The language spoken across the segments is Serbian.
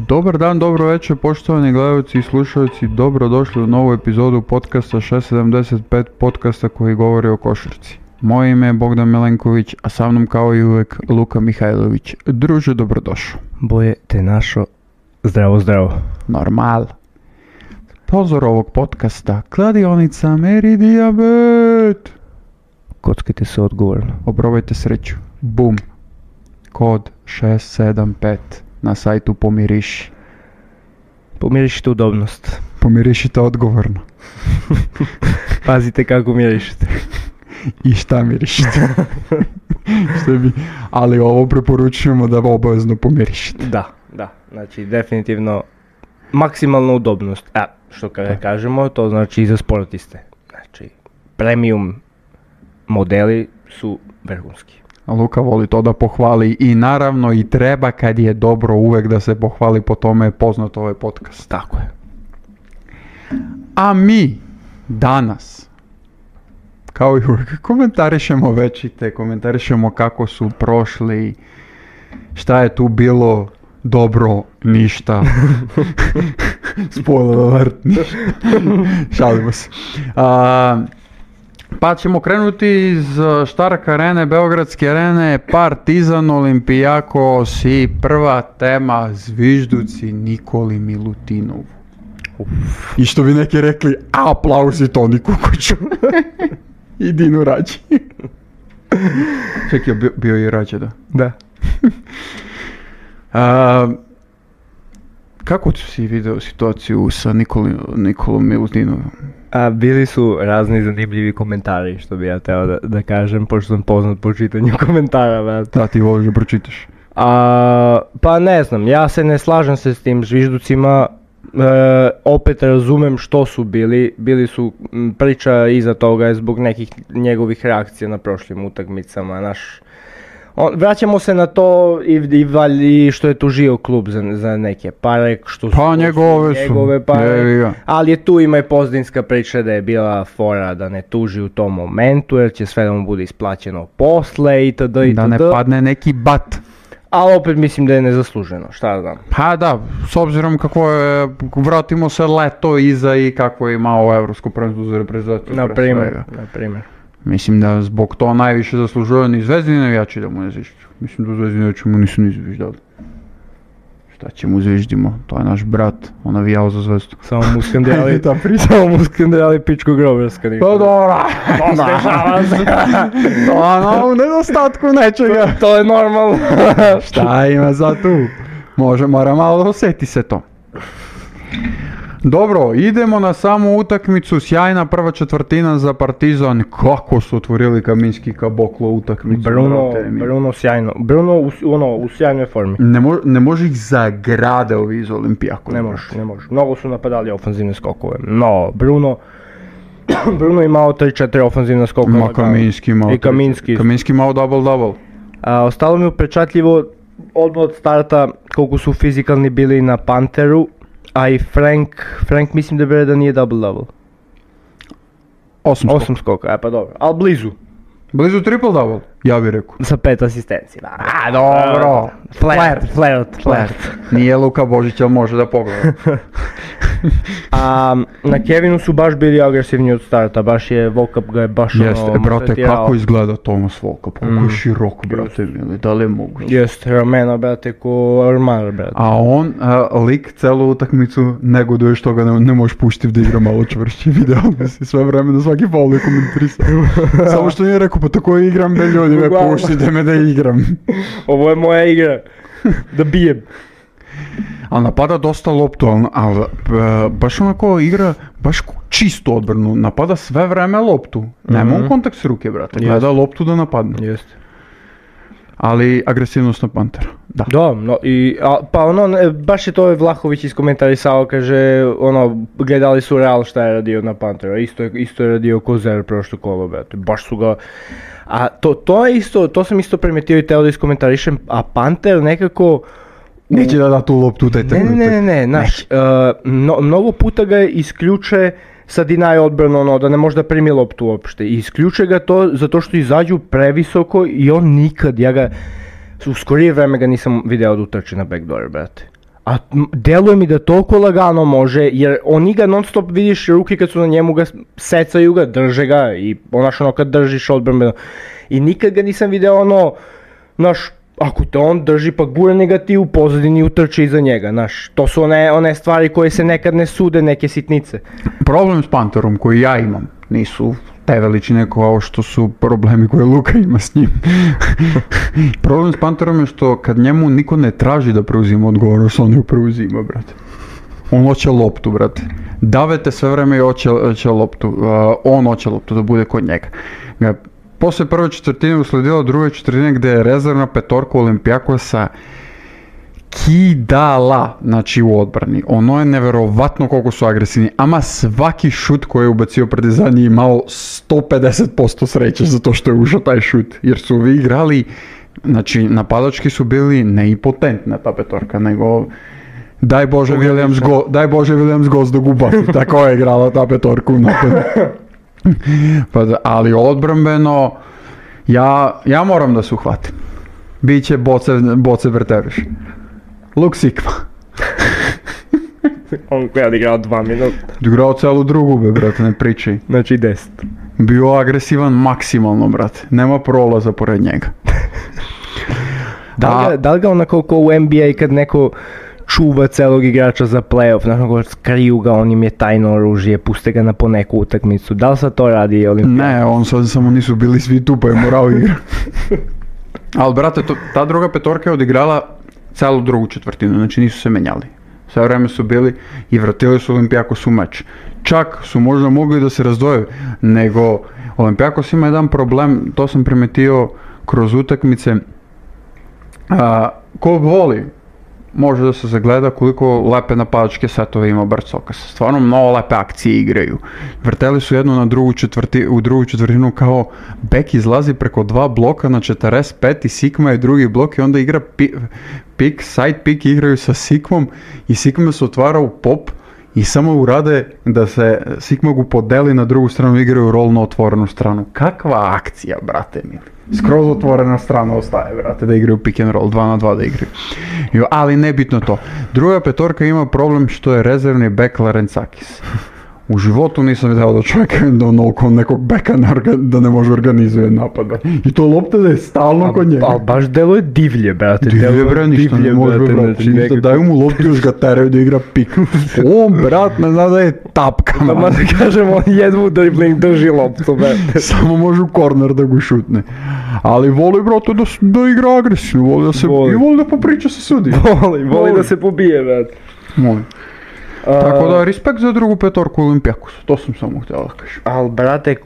Dobar dan, dobro večer, poštovani gledalci i slušalci, dobrodošli u novu epizodu podcasta 675, podcasta koji govori o košarci. Moje ime je Bogdan Milenković, a sa mnom kao i uvek Luka Mihajlović. Druže, dobrodošao. Boje te našo, zdravo, zdravo. Normal. Pozor ovog podcasta, kladionica Meridiabet. Kockajte se odgovorno. Oprobajte sreću. Bum. Kod 675 na sajtu Pomiriši. Pomirišite udobnost. Pomirišite odgovorno. Pazite kako mirišite. I šta mirišite. Ali ovo preporučujemo da obavezno pomirišite. Da. Znači definitivno maksimalna udobnost. Što kada kažemo, to znači i za sportiste. Znači premium modeli su vrhunski. Luka voli to da pohvali i naravno i treba kad je dobro uvek da se pohvali, po tome je poznat ovaj podcast. Tako je. A mi danas, kao i uvek, komentarišemo kako su prošli, šta je tu bilo dobro, ništa. Spoiler alert, šalimo se. Pa ćemo krenuti iz Štark arene, Beogradske arene, Partizan, Olimpijakos i prva tema, zvižduci Nikoli Milutinovu. I što bi neki rekli, aplauzi Toni Kukoću. I Dinu Rađi. Čekaj, bio i Rađe, da? Da. Kako si video situaciju sa Nikolom Milutinovom? Bili su razni zanimljivi komentari, što bi ja teo da kažem, pošto sam poznat po čitanju komentara. Da, ti voliš da pročitaš. Pa ne znam, ja se ne slažem se s tim zvižducima, opet razumem što su bili su priča iza toga je zbog nekih njegovih reakcija na prošlim utakmicama, vraćamo se na to i što je tužio klub za neke pare, što su njegove pare, ali je tu ima i pozdinska priča da je bila fora da ne tuži u tom momentu jer će sve da mu bude isplaćeno posle itd. Da ne padne neki bat. Ali opet mislim da je nezasluženo, šta znam. Pa da, s obzirom kako je, vratimo se leto iza i kako je imao evropsko prvenstvo za reprezentaciju. Na primjer. Mislim da zbog to najviše zaslužuju ni Zvezdini navijači da mu ne zvižđu. Mislim da Zvezdini navijači mu nisu ni zviždali. Šta će mu zviždimo? To je naš brat, on navijao za Zvezdu. Samo mu skandali pičku grobarska. Pa dobro. To u nedostatku nečega. To je normalno. Šta ima za tu? Mora malo da osjeti se to. Dobro, idemo na samu utakmicu, sjajna prva četvrtina za Partizan, kako su otvorili Kaminski Kaboklo utakmicu. Bruno sjajno, u sjajnoj formi. Ne može ih zagrade ovi iz Olimpijaka. Ne može, mnogo su napadali ofanzivne skokove, no Bruno imao 3-4 ofanzivne skokove. Kaminski imao double-double. Ostalo mi upečatljivo odmah od starta koliko su fizikalni bili na Panteru. A i Frank mislim da nije double-double. 8 skoka, pa dobro, ali blizu. Blizu triple-double, ja bih rekao. Sa 5 asistencija. Dobro. Flirt. Nije Luka Božić, ali može da pogleda. Na Kevinu su baš bili agresivni od starta, baš je Volkap ga je baš Jeste, brate, kako izgleda Tomas Volkap, kako je širok, brate, da li je moguće? Jeste, ramena, brate, ko armar, brate. A on, lik, celu utakmicu negoduje što ga ne možeš puštiti da igra malo čvršće, video si sve vreme na svaki faul je komentarisao. Samo što nije rekao, pa tako igram, be ljudi me puštite me da igram. Ovo je moja igra, da bijem. Ali napada dosta loptu, ali baš onako igra, baš čistu odbranu, napada sve vreme loptu. Nema on kontakt s ruke, brate, gleda loptu da napadne. Jeste. Ali agresivnost na Pantera, da. Da, baš je to Vlahović iskomentarisao, kaže, gledali su Real šta je radio na Pantera, isto je radio Kozer prošlo kolo, brate, baš su ga... A to sam isto primetio i teo da iskomentarišem, a Panter nekako... Neće da tu loptu u taj trenutak. Ne, mnogo puta ga isključe sa deny odbranu, da ne može da primi loptu uopšte. I isključe ga to zato što izađu previsoko i on nikad, u skorije vreme ga nisam video da utrči na backdoor, brate. A deluje mi da toliko lagano može, jer oni ga non stop vidiš, ruke kad su na njemu ga secaju ga, drže ga i onaš ono kad držiš odbrambeno. I nikad ga nisam video ono, znaš, ako te on drži pa gurne ga ti u pozadini utrče iza njega, znaš. To su one stvari koje se nekad ne sude, neke sitnice. Problem s Panterom koji ja imam nisu te veličine kao što su problemi koje Luka ima s njim. Problem s Panterom je što kad njemu niko ne traži da preuzima odgovornost, on ju preuzima, brate. On hoće loptu, brate. Davete sve vreme i hoće loptu. On hoće loptu da bude kod njega. Posle prve četvrtine usledila druga četvrtina gdje je rezervna petorka Olimpijakosa kidala, znači u odbrani. Ono je neverovatno koliko su agresivni, ama svaki šut koji je ubacio Partizan je imao 150% sreće zato što je ušao taj šut, jer su ovi igrali, znači napadački su bili neipotentna ta petorka, nego daj Bože Williams Goss da gubaci, tako je igrala ta petorka u napadu. Ali odbrambeno, ja moram da se uhvatim. Biće boce vrteriš. Luk Sikva. On koja je odigrao 2 minuta. Odigrao celu drugu, brate, ne pričaj. Znači 10. Bio agresivan maksimalno, brate. Nema prolaza pored njega. Da li ga onako ko u NBA kad neko čuva celog igrača za play-off, znači skriju ga, on im je tajno oružje, puste ga na poneku utakmicu. Da li sad to radi Olimpijak? Ne, on sad samo nisu bili svi tu pa je morao igra. Ali brate, ta druga petorka je odigrala celu drugu četvrtinu, znači nisu se menjali. Sve vreme su bili i vratili su Olimpijakos u meč. Čak su možda mogli da se razdvoje, nego Olimpijakos ima jedan problem, to sam primetio kroz utakmice. Ko voli, može da se zagleda koliko lepe napadačke setove ima Barcokas. Stvarno mnogo lepe akcije igraju. Vrteli su jednu na u drugu četvrtinu kao bek izlazi preko 2 bloka na 45 i Sikma je drugi blok i onda igra pik, side pick igraju sa Sikmom i Sikma se otvara u pop i samo urade da se Sikma ga podeli na drugu stranu i igraju roll na otvorenu stranu. Kakva akcija, brate mili. Skroz otvorena strana ostaje, brate, da igraju pick and roll, 2 na 2 da igraju. Ali nebitno to. Druga petorka ima problem što je rezervni bek Larentzakis. U životu nisam vidio da čovjek onoliko nekog beka da ne može organizuje napada. I to lopta da je stalno kod njega. Ali baš deluje divlje, brate. Divlje, bre, ništa ne može, brate. Ništa, daju mu loptu još ga teraju da igra pik. On, brat, ne zna da je tapka. Da ma da kažem, on jedvu dribbling drži loptu, brate. Samo može u korner da ga šutne. Ali voli, brate, da igra agresivno, voli da popriča sa sudi. Voli da se pobije, brate. Voli. Tako da, respekt za drugu petorku Olimpijakosa, to sam samo htjela da kažem. Ali, brate,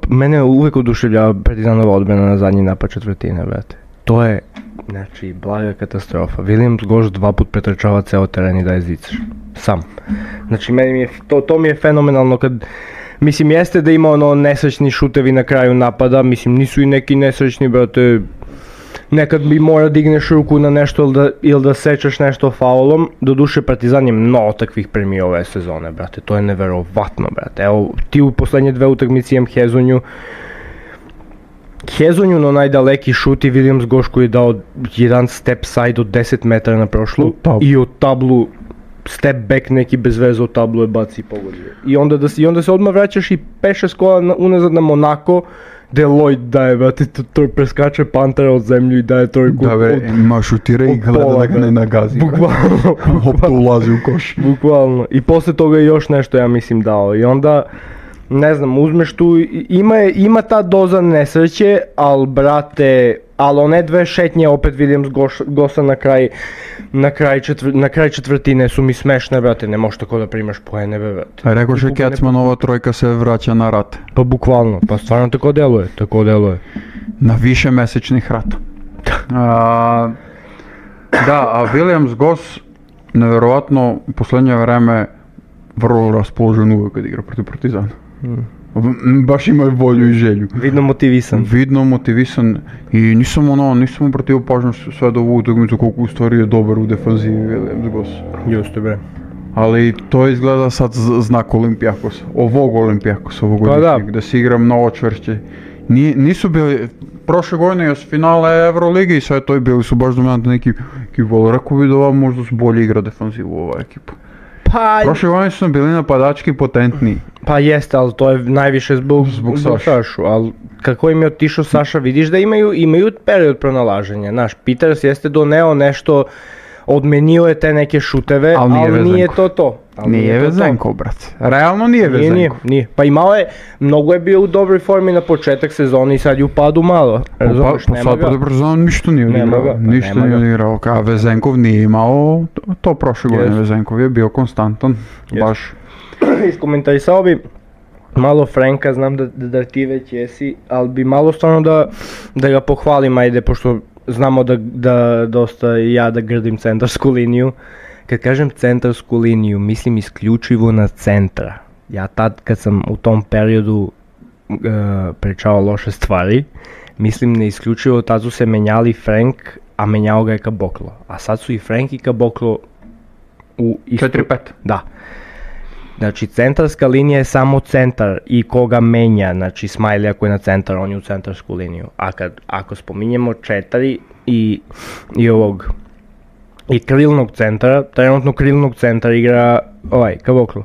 mene uvijek oduševljava Partizanova odbrana na zadnji napad četvrtine, brate. To je, znači, blaga katastrofa. Williams Goss 2 put pretrčava ceo teren i daje zicer. Sam. Znači, to mi je fenomenalno kad... Mislim, jeste da ima ono nesrećni šutevi na kraju napada, mislim, nisu i neki nesrećni, brate... Nekad bi mora digneš ruku na nešto ili da sečeš nešto faulom. Doduše Partizan je mnogo takvih premio ove sezone, brate, to je neverovatno, brate. Evo, ti u poslednje 2 utakmice imam Hezonju na najdaleki šut i Williams Goss koji je dao jedan step side od 10 metara na prošlu i od tablu step back neki bez veze od tablu je baci i pogodio. I onda se odmah vraćaš i 5-6 kola unazad na Monako, gdje Lloyd daje, brate, to preskače Pantera od zemlju i daje trojku. Da, bre, ima šutira i gleda da ga ne nagazi. Bukvalno. Lopta ulazi u koš. Bukvalno. I posle toga je još nešto, ja mislim, dao. I onda, ne znam, uzmeš tu, ima ta doza nesreće, ali, brate, ali one 2 šetnje, opet Williams Gossa na kraj četvrtine su mi smešne, brate, ne možeš tako da primaš poene, brate. Rekao še Kecmanova trojka se vraća na rat. Pa bukvalno, pa stvarno tako deluje. Na više mesečnih rata. A Williams Goss, nevjerovatno, u posljednje vreme vrlo raspoložen uvijek kad igra protiv Partizana. Baš ima volju i želju. Vidno motivisan i nisam mu protiv pažnju sve do ovu utakmicu koliko u stvari je dobar u defanzivi Williams Goss. Juste, bre. Ali to izgleda sad znak Olimpijakosa, ovog Olimpijakosa, ovogodišnjeg, da se igra mnogo čvršće. Nisu bili, prošle godine je s finale Euroligi i sve to i bili su baš dominantni ekipa, ali rekao bi da ova možda su bolje igra defanzivu ova ekipa. Pa, prošle godine su bili napadački potentniji. Pa jeste, ali to je najviše zbog Sašu, ali kako im je otišao Saša, vidiš da imaju period pronalaženja, znaš, Peters jeste doneo nešto, odmenio je te neke šuteve, ali nije to. Nije Vezenkov, brate. Realno nije Vezenkov. Nije. Pa mnogo je bio u dobroj formi na početak sezoni i sad je u padu malo. Razumiješ, nema ga. Pa ništa nije odigrao. Ništa nije odigrao. A Vezenkov nije imao to prošle godine. Vezenkov je bio konstantan. Baš. Iskomentarisao bi malo Franka, znam da ti već jesi, ali bi malo stvarno da ga pohvalim, ajde, pošto znamo da dosta ja da grdim centarsku liniju. Kad kažem centarsku liniju, mislim isključivo na centra. Ja tad kad sam u tom periodu pričao loše stvari, mislim ne isključivo, tad su se menjali Frank, a menjao ga je Caboclo. A sad su i Frank i Caboclo u istu... 4-5. Da. Znači centarska linija je samo centar i koga menja, znači Smiley ako je na centar, on je u centarsku liniju. A ako spominjemo 4 i krilnog centra, trenutno krilnog centra igra Caboclo.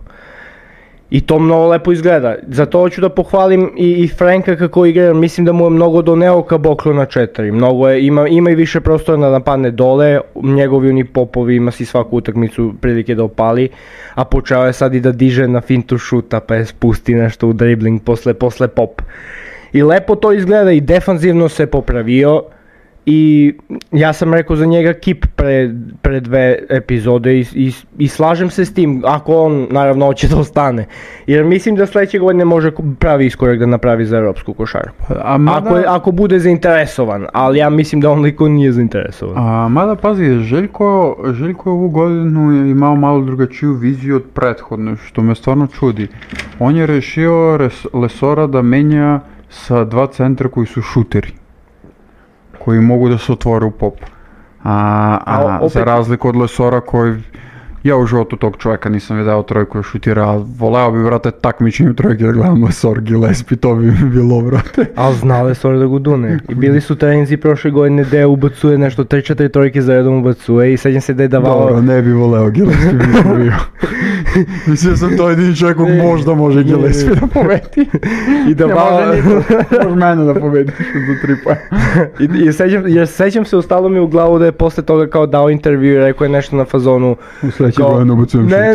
I to mnogo lepo izgleda. Zato hoću da pohvalim i Franka kako igra, mislim da mu je mnogo doneo Caboclo na 4. Ima i više prostora da napadne dole, njegovi oni popovi, ima si svaku utakmicu prilike da opali, a počeo je sad i da diže na fintu šuta pa je spusti nešto u dribling posle pop. I lepo to izgleda i defanzivno se popravio. I ja sam rekao za njega kip pre 2 epizode i slažem se s tim, ako on naravno hoće da ostane. Jer mislim da sljedeće godine može pravi iskorak da napravi za europsku košarku. Ako bude zainteresovan, ali ja mislim da on liko nije zainteresovan. Mada pazi, Željko je ovu godinu imao malo drugačiju viziju od prethodne, što me stvarno čudi. On je rešio Lesora da menja sa 2 centra koji su šuteri, koji mogu da se otvore u pop. Za razliku od Lesora koji... Ja u životu tog čovjeka nisam vidio trojku da šutira, a voleo bi, brate, takmičnim trojke da gledam Lesor Gillespie, to bi bilo, brate. Ali zna Lesor da go dune. I bili su treninzi prošle godine gdje ubacuje nešto 3-4 trojke za redom ubacuje i sećam se da je davao... Dobro, ne bi voleo Gillespie bi bio. Mislim sam to jedini čovjek koji možda može Gillespie da pobedi. I davao... Može mene da pobedi do 3 pa. I sećam se, ostalo mi u glavu da je posle toga kao dao intervju i rekao je nešto na fazonu...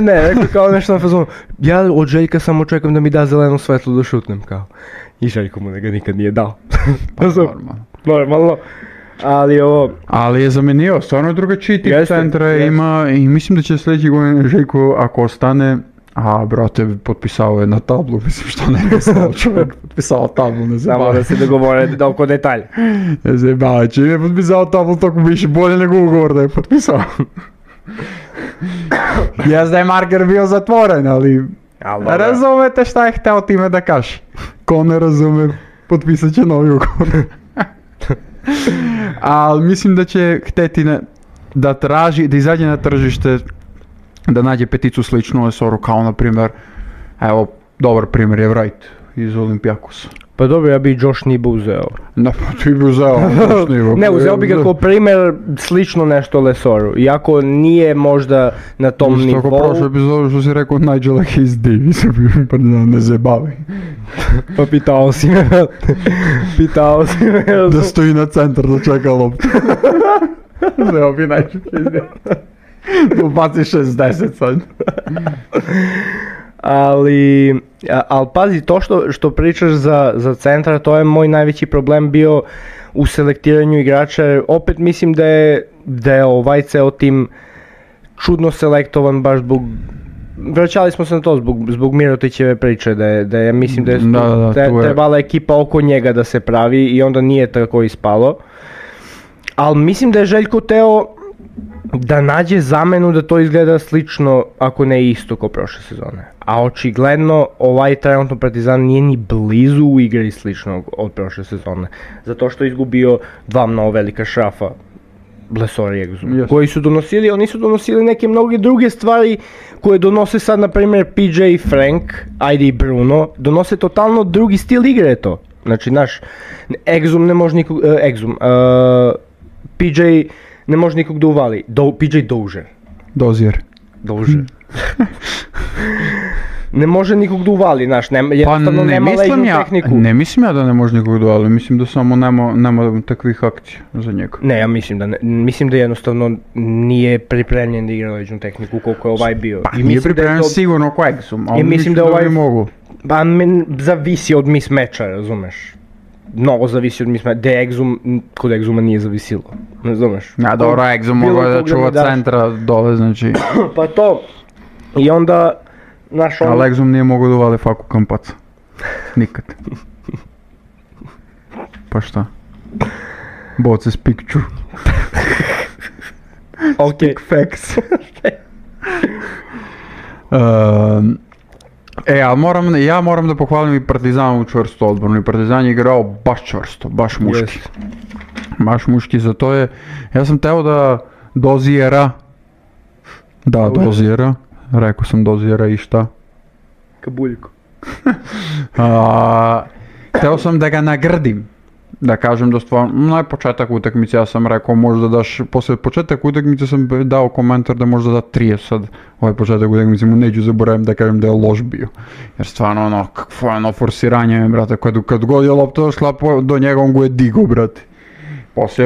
Ne, rekao kao nešto na fazonu, ja od Željka samo čekam da mi da zeleno svetlo da šutnem, kao. I Željko mu ga nikad nije dao. Normalno. Ali je zamenio, stvarno drugačiji tip centra ima i mislim da će sljedeći godin Željko, ako ostane, brate, potpisao je na tablu, mislim što ne je stao čovjek, potpisao tablu, ne zebava. Samo da se dogovore oko detalja. Ne zebava, čim je potpisao tablu, toliko više bolje nego ugovor da je potpisao. Jes da je marker bio zatvoren, ali razumete šta je hteo time da kaže. Ko ne razume, potpisat će novi ugovor. Ali mislim da će hteti da traži, da izađe na tržište, da nađe peticu sličnu Lesoru, kao na primjer, evo, dobar primjer je Wright iz Olympiakosa. Pa dobro, ja bi Josh Nibo uzeo. Pa ti bi uzeo Josh Nibo. Ne, uzeo bi ga kao primjer slično nešto Lesoru, iako nije možda na tom nivou. Tako prošle epizode što si rekao Nigela Hayes Davis, pa ne zabavi. Pa pitao si me. Da stoji na centar da čeka loptu. Uzeo bi Nigela Hayes Davis. Ubaci 60 sad. Ali pazi, to što pričaš za centra, to je moj najveći problem bio u selektiranju igrača. Opet mislim da je ovaj ceo tim čudno selektovan baš zbog... Vraćali smo se na to zbog Mirotićeve priče, da je mislim da je trebala ekipa oko njega da se pravi i onda nije tako ispalo. Ali mislim da je Željko teo da nađe zamenu da to izgleda slično, ako ne isto kao prošle sezone. A očigledno ovaj trenutno Partizan nije ni blizu u igri sličnog od prošle sezone. Zato što je izgubio 2 mnogo velika šrafa, Lesor i Egzu, koji su donosili, oni su donosili neke mnoge druge stvari koje donose sad, na primjer, PJ i Frank, ajde i Bruno, donose totalno drugi stil igre to. Znači, naš Exum ne može nikog, PJ ne može nikog da uvali, PJ Dozier. Dozier. Ne može nikog da uvali, znaš, jednostavno nema leđnu tehniku. Ne mislim ja da ne može nikog da uvali, mislim da samo nema takvih akcija za njega. Ne, ja mislim da jednostavno nije pripremljen da igra leđnu tehniku koliko je ovaj bio. Pa nije pripremljen sigurno ko Exum, ali mislim da ovaj bi mogu. Pa zavisi od mismeča, razumeš? Mnogo zavisi od mismeča, kod Exuma nije zavisilo, razumeš? Ja, dobro, Exum mogo da čuva centra dole, znači. Pa to, i onda... Ali Exum nije mogao da uvali Faku Campazza. Nikad. Pa šta? Boce s picture. Stick facts. Ali ja moram da pohvalim i Partizanovu čvrstu odbranu. I Partizan je igrao baš čvrsto, baš muški. Baš muški, zato je... Ja sam teo da Doziera... Doziera. Rekao sam Doziera i šta? Kabuljko. Hteo sam da ga nagrdim. Da kažem da stvarno, početak utakmice ja sam rekao možda daš, posle početak utakmice sam dao komentar da možda da 30, sad ovaj početak utakmice mu neću zaboravim da kažem da je loš bio. Jer stvarno kakvo je forsiranje, brate, kad god je lopta došla do njega on go je digo, brate.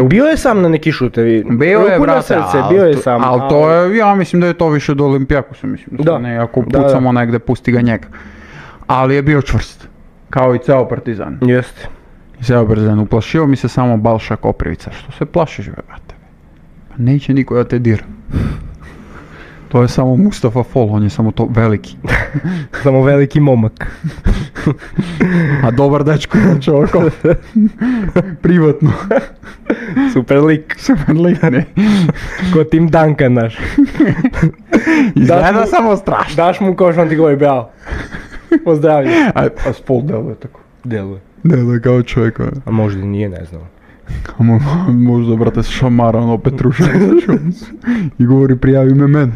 Bio je sam na neki šutevi, bio je, brate, bio je sam. Ali to je, ja mislim da je to više do Olimpijakosa, mislim da ne, ako pucamo negde, pusti ga njega. Ali je bio čvrst, kao i ceo Partizan. Jeste. Ceo Partizan, uplašio mi se samo Balša Koprivica, što se plašiš, brate? Pa neće niko da te dira. To je samo Mustafa Fall, on je samo to veliki. Samo veliki momak. A dobar dečko, znači ovako. Privatno. Super lik, ne. Ko Tim Duncan naš. Izgleda samo strašno. Daš mu koš, on ti govori bravo. Pozdravljam. A Fall deluje tako. Deluje kao čovjek. A možda nije, ne znam. Možda, brate, šamara ono Petruša i govori prijavi me mene.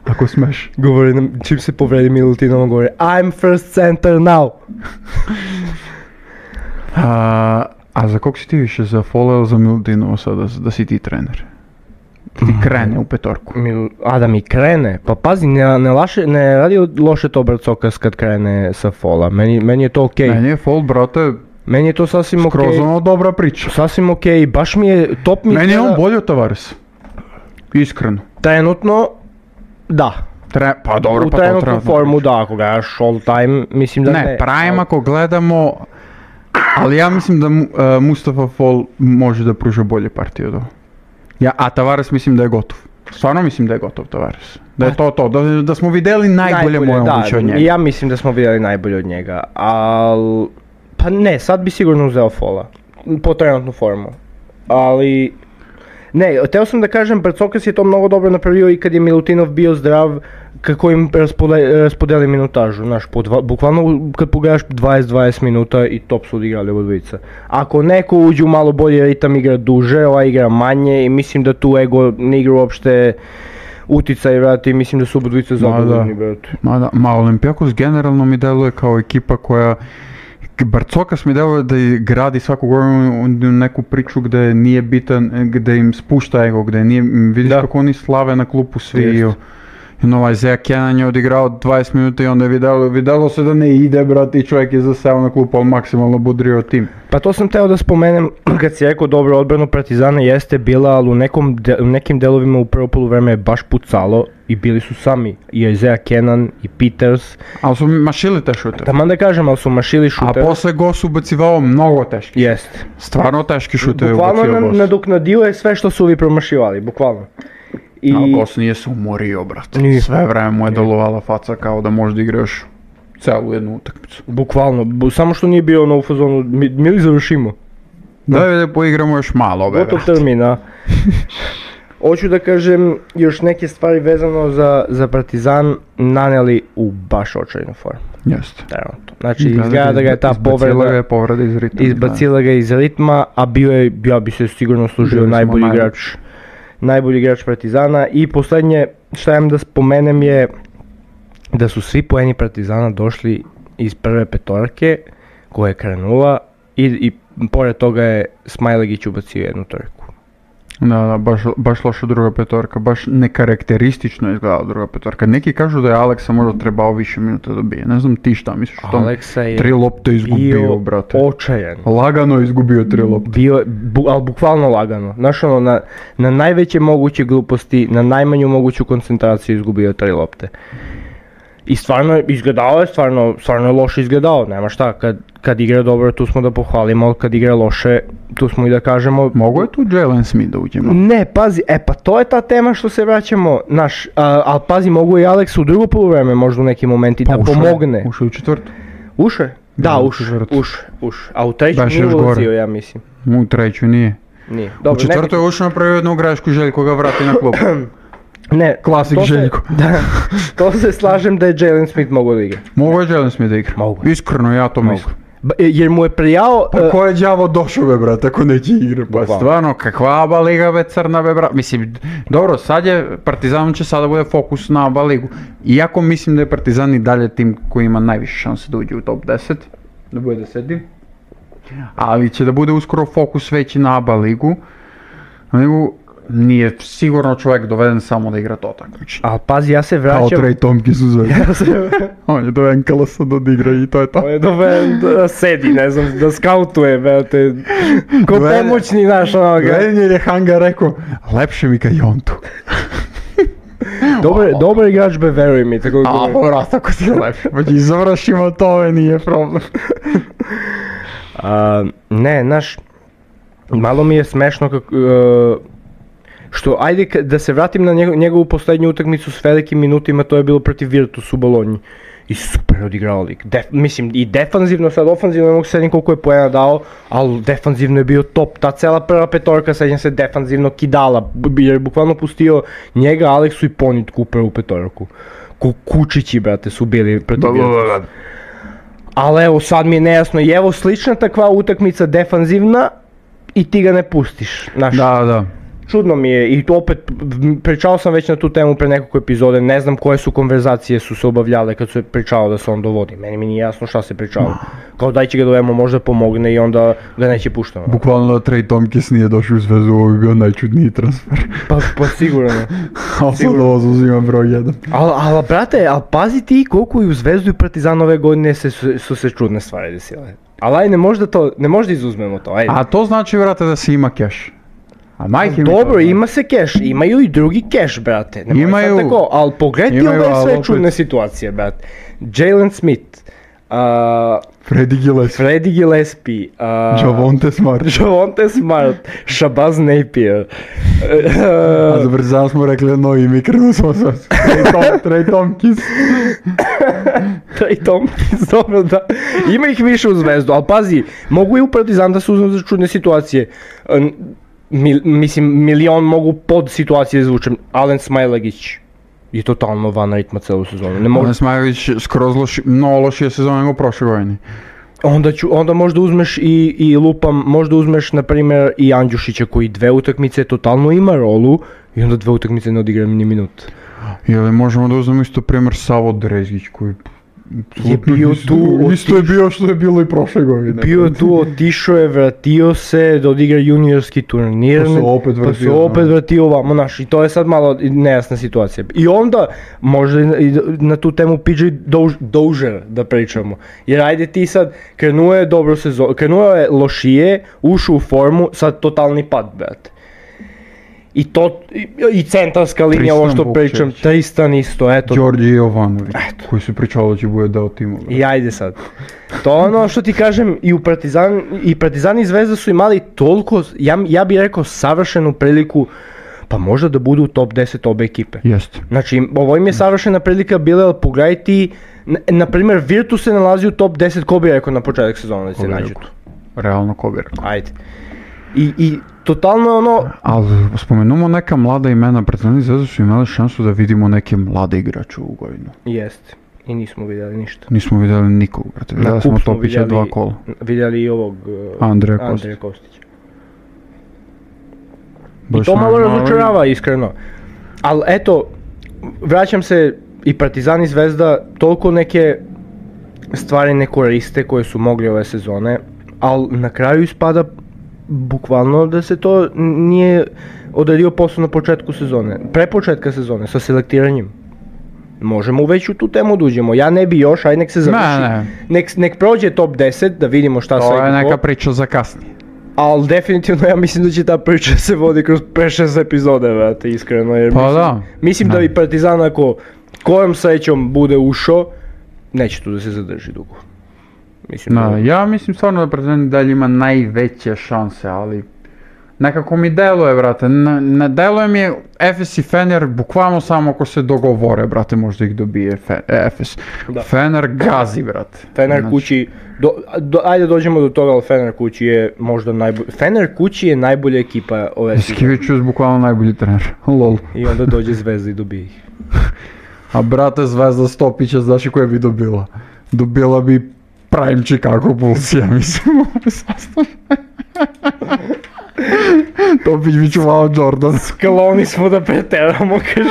Ako smeš. Govori nam, čim se povredi Milutinovo, govori I'm first center now. A za kog si ti više, za Fola ili za Milutinovo sada, da si ti trener? Ti krene u petorku. Da mi krene? Pa pazi, ne radi loše to Brcokas kad krene sa Fola, meni je to okej. Meni je Fol, brate, meni je to sasvim okej. Skroz ono dobra priča. Sasvim okej, baš mi je, top mi... Meni je on bolji od Tavares. Iskreno. Trenutno, da. Pa dobro, u trenutnu formu da, ako gledaš all time, mislim da ne. Ne, prime ako gledamo, ali ja mislim da Mustafa Fall može da pruža bolje partije od ovo. A Tavares mislim da je gotov. Stvarno mislim da je gotov Tavares. Da je to, da smo vidjeli najbolje moguće od njega. Ja mislim da smo vidjeli najbolje od njega, ali... Pa ne, sad bi sigurno uzeo Fola, po trenutnu formu, ali... Ne, teo sam da kažem, Brcokas je to mnogo dobro napravio i kad je Milutinov bio zdrav, kako im raspodeli minutažu, znaš, bukvalno kad pogledaš 20 minuta i top su odigrali oba dvojica. Ako neko uđe u malo bolji ritam, igra duže, ova igra manje i mislim da tu ego ne igra uopšte uticaj, brate, i mislim da su oba dvojica zadovoljni, brate. Ma Olimpijakos generalno mi deluje kao ekipa koja... Brcokas mi deluje da gradi svaku godinu neku priču gde nije bitan, gde im spušta ego, gde nije, vidiš kako oni slave na klupu svi. Ovaj Zea Kenan je odigrao 20 minuta i onda je videlo se da ne ide, brate, i čovjek je zaseo na klupu, ali maksimalno budrio tim. Pa to sam teo da spomenem, kad si rekao dobro, odbranu Partizana jeste bila, ali u nekim delovima u prvo poluvreme je baš pucalo i bili su sami, i Isaiah Kenan i Peters. Ali su mašili te šutere. Taman da kažem, ali su mašili šutere. A posle Gos ubacivao mnogo teški. Jeste. Stvarno teški šutere ubacivao Gos. Bukvalno nadoknadio je sve što su ovi promašivali, bukvalno. Ali Gos nije se umorio, brate. Sve vreme mu je delovala faca kao da možda igraš celu jednu utakmicu. Bukvalno, samo što nije bio u fazonu, mi li završimo? Da poigramo još malo, brate. Gotov termina. Hoću da kažem još neke stvari vezano za Partizan naneli u baš očajnu formu. Jeste. Znači izgleda da ga je ta izbacila ga iz ritma, a bio je, ja bi se sigurno služio najbolji igrač Partizana. I posljednje što imam da spomenem je da su svi poeni Partizana došli iz prve petorke koja je krenula i pored toga je Smajlagić ubacio jednu trku. Da, baš loša druga petorka, baš nekarakteristično izgledala druga petorka. Neki kažu da je Aleksa možda trebao više minuta da dobije. Ne znam ti šta misliš o tom? Aleksa je 3 lopte izgubio, brate. Očajan. Lagano je izgubio 3 lopte. Ali bukvalno lagano. Znaš ono, na najveće moguće gluposti, na najmanju moguću koncentraciju izgubio 3 lopte. I stvarno izgledao je, stvarno je loše izgledao, nema šta, kad igra dobro tu smo da pohvalimo, ali kad igra loše tu smo i da kažemo... Mogu je tu Jalen Smith da uđemo? Ne, pazi, pa to je ta tema što se vraćamo, ali pazi, mogu i Alex u drugo poluvreme možda u nekim momenti da pomogne. Ušao u četvrtu. Uše? Da, uše. A u treću nije ulazio, ja mislim. U treću nije. Nije. U četvrtu je ušao napravio jednu grešku i Željko ga vrati na klubu. Ne, klasik Željko. Da, to se slažem da je Jalen Smith mogao da igra. Mogu je Jalen Smith da igra? Mogu. Iskreno, ja to mislim. Jer mu je prijao... Pa ko je đavo došao be brate, ako neće igra? Pa stvarno, kakva ABA liga be crna be brate. Mislim, dobro, sad je, Partizan će sada bude fokus na ABA ligu. Iako mislim da je Partizan i dalje tim koji ima najviše šanse da uđe u top 10. Da bude 10. Ali će da bude uskoro fokus veći na ABA ligu. Nije sigurno čovjek doveden samo da igra to takmičenje. Ali pazi, ja se vraćam... Kao Trey Tompkins u Zvezdi. On je doveden Kalasa da odigra i to je to. On je doveden da sedi, ne znam, da skautuje, brate. Ko pomoćni naš onoga. Doveden jer je Hanga rekao, lepše mi ka Jontu. Dobar igrač be, veruj mi. Vrat, ako ti je lepše. Pa ti završimo to, nije problem. Ne, znaš, malo mi je smešno kako... Što, ajde da se vratim na njegovu posljednju utakmicu s velikim minutima, to je bilo protiv Virtus u Bolonji. I super odigrao lik. Mislim, i defanzivno, sad ofanzivno ne mogu sedim koliko je poena dao, ali defanzivno je bio top. Ta cela prva petorka, sedim se defanzivno kidala, jer je bukvalno pustio njega, Aleksu i Ponitku u prvu petorku. Kučići, brate, su bili protiv Virtus. Ali evo, sad mi je nejasno, i evo slična takva utakmica defanzivna i ti ga ne pustiš. Da. Čudno mi je i opet pričao sam već na tu temu pre nekoliko epizode, ne znam koje su konverzacije su se obavljale kad se pričao da se on dovodi, meni mi nije jasno šta se pričalo. Kao daj će ga dovemo, možda pomogne i onda ga neće puštamo. Bukvalno da Trey Tompkins nije došao u Zvezdu, ovo bi bio najčudniji transfer. Pa sigurno. Ali sad ovo uzimam broj 1. Ali brate, pazi ti koliko i u Zvezdu i Partizan ove godine su se čudne stvari desile. Ali ajde, ne možda izuzmemo to, ajde. A to znači, brate, da se ima cash. Dobro, ima se keš, imaju i drugi keš, brate, ne može sad tako, ali pogledaj ove sve čudne situacije, brate. Jalen Smith, Freddie Gillespie, Javonte Smart, Shabazz Napier. A za Partizan smo rekli novi mi krenuo smo sa Trey Tompkins. Trey Tompkins, dobro da, ima ih više u Zvezdu, ali pazi, mogu i u Partizan da se uzme za čudne situacije. Mislim, milion mogu pod situacije da zvučem. Alen Smajlagić je totalno van ritma celu sezonu. Alen Smajlagić skroz lošije sezone nego prošle godine. Onda možda uzmeš i lupam, možda uzmeš na primjer i Andjušića koji 2 utakmice totalno ima rolu i onda 2 utakmice ne odigra ni minut. Ili možemo da uzmemo isto primjer Savo Drezgić koji je bio tu, isto je bio što je bilo i prošle godine. Bio tu, otišao je, vratio se da odigra juniorski turnir, pa se opet vratio ovamo, znaš, i to je sad malo nejasna situacija. I onda, možda i na tu temu PJ Dozier da pričamo, jer ajde ti sad, krenuo je dobro sezon, krenuo je lošije, ušao u formu, sad totalni pad, brate. I centarska linija, ovo što pričam, Tristan isto, eto. Đorđe Jovanović, koji se pričalo da će bude deo tima. I ajde sad. To ono što ti kažem, i Partizan i Zvezda su imali toliko, ja bih rekao, savršenu priliku, pa možda da budu u top 10 obe ekipe. Jeste. Znači, ovo im je savršena prilika bila, ali pogledajte, na primjer, Virtus se nalazi u top 10, ko bi rekao na početak sezona da se nađu tu? Realno, ko bi rekao. Ajde. I totalno ono... Ali spomenemo neka mlada imena, Partizan i Zvezda su imali šansu da vidimo neke mlade igrače u godinu. Jeste. I nismo vidjeli ništa. Nismo vidjeli nikog, brate. Vidjeli smo Topića 2 kola. Vidjeli i ovog... Andreja Kostića. I to malo razočarava, iskreno. Ali eto, vraćam se, i Partizan i Zvezda toliko neke stvari ne koriste koje su mogli ove sezone, ali na kraju ispada bukvalno da se to nije odradio posao na početku sezone, pre početka sezone sa selektiranjem. Možemo već u tu temu da uđemo, ja ne bi još, aj nek se završi, nek prođe top 10 da vidimo šta sve. To je neka priča za kasnije. Ali definitivno ja mislim da će ta priča se vodi kroz 5-6 epizode, vrate, iskreno, jer mislim da bi Partizan ako kojom srećom bude ušao, neće tu da se zadrži dugo. Ja mislim stvarno da Partizan dalje ima najveće šanse, ali nekako mi deluje, brate, ne deluje mi Efes i Fener bukvalno samo ako se dogovore, brate, možda ih dobije Efes. Fener gazi, brate. Fener kući, ajde dođemo do toga, ali Fener kući je možda najbolji, Fener kući je najbolja ekipa ove sezone. Skiviću je bukvalno najbolji trener, lol. I onda dođe Zvezda i dobije ih. A brate, Zvezda Stopića, znaš i koje bi dobila? Dobila bi Prime Chicago Bulls, ja mislim, u ovoj sastavu. Topić bi čuvao Jordan. Skloni smo da preteramo, kaže.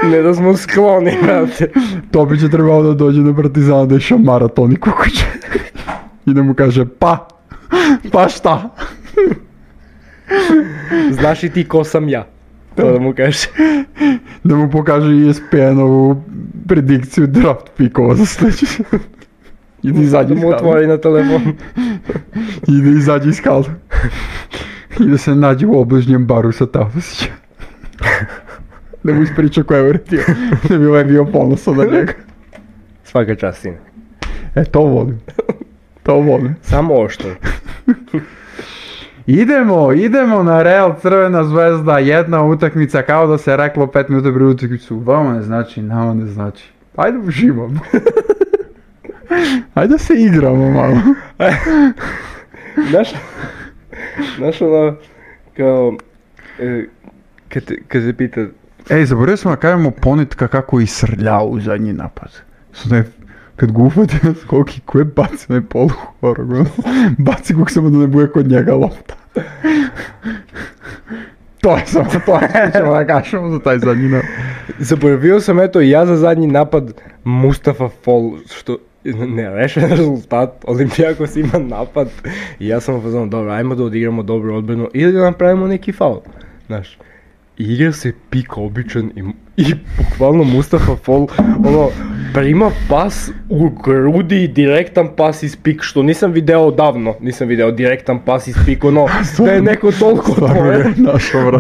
Ne da smo skloni, brate. Topić je trebao da dođe na Partizana da iša maraton i kukuće. I da mu kaže pa šta? Znaš i ti ko sam ja? To da mu kaže. Da mu pokaže ESPN-ovu predikciju draft pikova za sljedeći. I da izađe iz halda. Da mu otvori na telefon. I da izađe iz halda. I da se nađe u obližnjem baru sa Tafasićem. Da mu ispriča ko je vrtio. Da bi ovaj bio ponosan na njega. Svaka čast, sine. To volim. To volim. Samo oštro. Idemo na Real Crvena Zvezda, jedna utakmica kao da se reklo 5 minuta prije utakmicu. Vama ne znači, nama ne znači. Ajde uživamo. Ajde da se igramo malo. Znaš ono, kao, kad se pita... Zaboravio smo da kažemo Ponitka kako isrljao u zadnji napad. Kad ga ufati na skoki, koje baci na polu horog, baci kog samo da ne bude kod njega lopta. To je što ćemo da kažemo za taj zadnji napad. Zaboravio sam ja za zadnji napad Mustafa Fall, što... nerešen rezultat, Olimpijakos ima napad i ja sam pozvano, dobro, ajmo da odigramo dobru odbranu ili da napravimo neki faul, znaš. Igra se pik običan i bukvalno Mustafa Fall, prima pas u grudi, direktan pas iz pik, što nisam video odavno, direktan pas iz pik, da je neko toliko otvoren.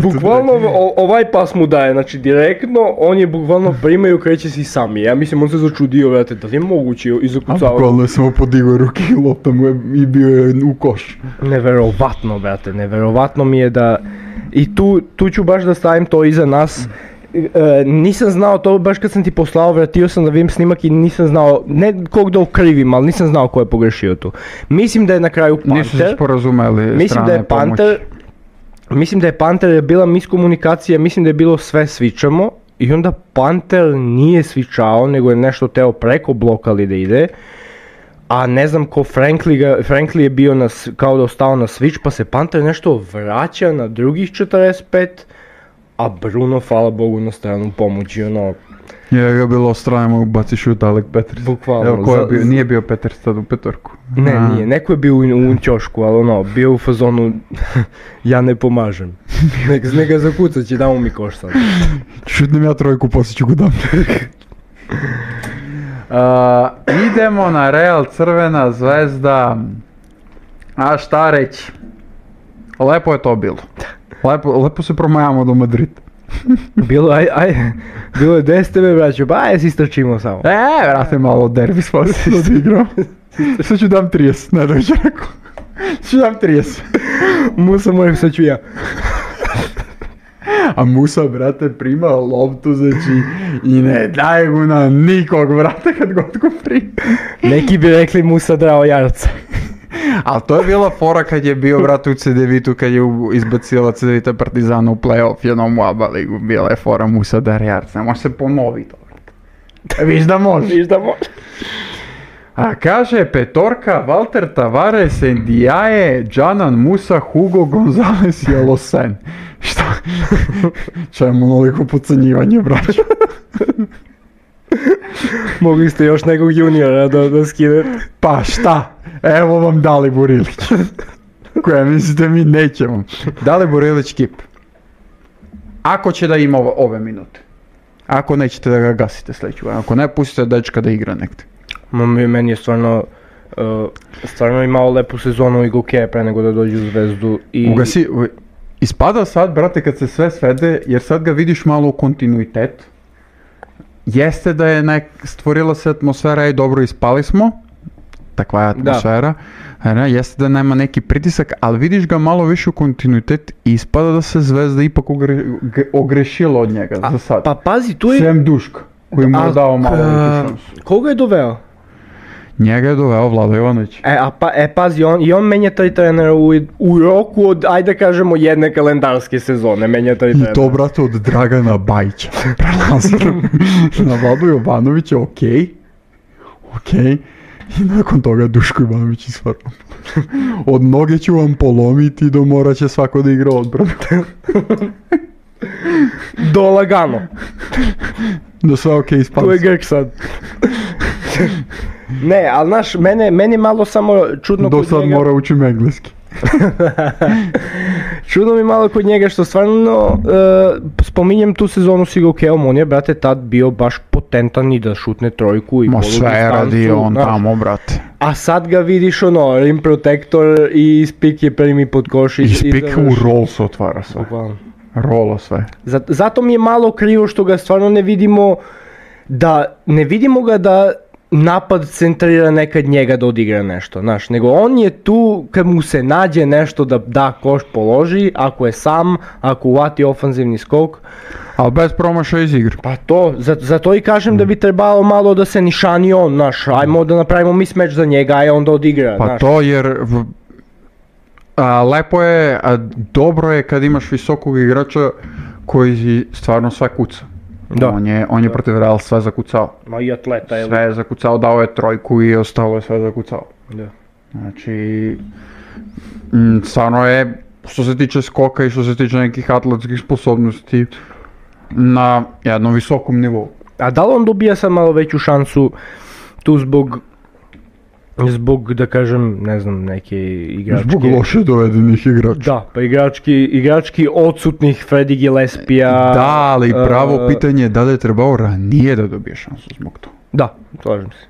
Bukvalno ovaj pas mu daje, znači direktno, on je bukvalno prima i okreće si sami. Ja mislim, on se začudio, vrate, da li je moguće i zakucao. A bukvalno je samo podigao ruke i lopta mu je i bio je u koš. Neverovatno, brate, neverovatno mi je da... I tu ću baš da stavim to iza nas. Nisam znao to, baš kad sam ti poslao, vratio sam da vidim snimak i nisam znao, ne kog da okrivim, ali nisam znao ko je pogrešio tu. Mislim da je na kraju Panter. Nisu se sporazumeli strane pomoći. Mislim da je Panter je bila miskomunikacija, mislim da je bilo sve svičamo i onda Panter nije svičao, nego je nešto teo preko blokali da ide. A ne znam ko Frankly je bio kao da ostao na switch, pa se Panter nešto vraća na drugih 45, a Bruno, hvala Bogu, na stranu pomoći, Je ga bilo strane, mogu baci šut Alek Peters. Bukvalno. Evo, ko je bio, nije bio Peters tad u petorku. Ne, nije, neko je bio u ćošku, ali bio u fazonu, ja ne pomažem. Nek ga zakucat će, damo mi koš sad. Šutnem ja trojku, poslije ću ga dam. Idemo na Real Crvena Zvezda. A šta reći? Lepo je to bilo. Lepo se promajamo do Madrida. Bilo je 10 tebe, braćo, ba si istrčimo samo. Vrate malo derbi spasi da odigrao. Sad ću dam 30, ne dođe rekao. Sad ću dam 30. Musa mojeg, sad ću ja. A Musa, brate, prima loptu, znači, i ne daje mu na nikog, brate, kad god go prima. Neki bi rekli Musa drao jarca. Ali to je bila fora kad je bio, brate, u CDV-u, kad je izbacila CDV-ta Partizana u play-off jednom u ABA ligu. Bila je fora Musa dar jarca, može se ponoviti. Viš da može. A kaže petorka, Walter Tavares, Ndiaye, Džanan Musa, Hugo Gonzalez i Alosen. Šta? Čemu onoliko podcenjivanje, braćo? Mogli ste još nekog juniora da skinete. Pa šta? Evo vam Dalibor Ilić. Koja mislite mi nećemo. Dalibor Ilić kip. Ako će da ima ove minute. Ako nećete da ga gasite sljedeću. Ako ne, pustite dečka da igra negdje. Meni je stvarno imao lepu sezonu i Gokeja pre nego da dođe u Zvezdu. Ispada sad, brate, kad se sve svede, jer sad ga vidiš malo u kontinuitet. Jeste da je stvorila se atmosfera i dobro ispali smo. Takva je atmosfera. Jeste da nema neki pritisak, ali vidiš ga malo više u kontinuitet i ispada da se Zvezda ipak ogrešila od njega za sad. Pa pazi, tu je... Sem Duška, koji mu je dao malo više šansu. Koga je doveo? Njega je doveo Vlado Jovanović. Pazi, on menja taj trenera u roku od, ajde da kažemo, jedne kalendarske sezone, menja taj trenera. I to, brate, od Dragana Bajića. Na Vlado Jovanovića, okej. I nakon toga Duško Ivanović isvarno. Od noge ću vam polomiti do morat će svako da igra odbranu. Do lagano. Do sve okej ispanci. Tu je Grk sad. Ne, ali znaš, meni malo samo čudno kod njega... Do sad mora učim engleski. Čudno mi malo kod njega što stvarno spominjem tu sezonu s Igokejom, on je, brate, tad bio baš potentan i da šutne trojku i polu distancu. Sve je radio on tamo, brate. A sad ga vidiš rim protector i spik je primi pod koš i spik u roll se otvara sve. Rolo sve. Zato mi je malo krivo što ga stvarno ne vidimo ga da napad centrira nekad njega da odigra nešto, znaš, nego on je tu kad mu se nađe nešto da koš položi, ako je sam, ako uvati ofanzivni skok. Ali bez promašaja iz igre. Pa to, zato i kažem da bi trebalo malo da se nišani on, znaš, ajmo da napravimo mismatch za njega, a onda odigra, pa znaš. To jer lepo je, dobro je kad imaš visokog igrača koji stvarno sve kuca. Da. On je protiv Real sve zakucao. Ma i atleta je. Sve je zakucao, dao je trojku i ostalo je sve zakucao. Da. Znači, stvarno je, što se tiče skoka i što se tiče nekih atletskih sposobnosti, na jednom visokom nivou. A da li on dobija sad malo veću šansu tu zbog, da kažem, ne znam, neke igračke... Zbog loše dovedenih igrača. Da, pa igrački odsutnih Fredi Gillespija... Da, ali pravo pitanje je da li je trebao ranije da dobije šansu zbog toga. Da, slažem se.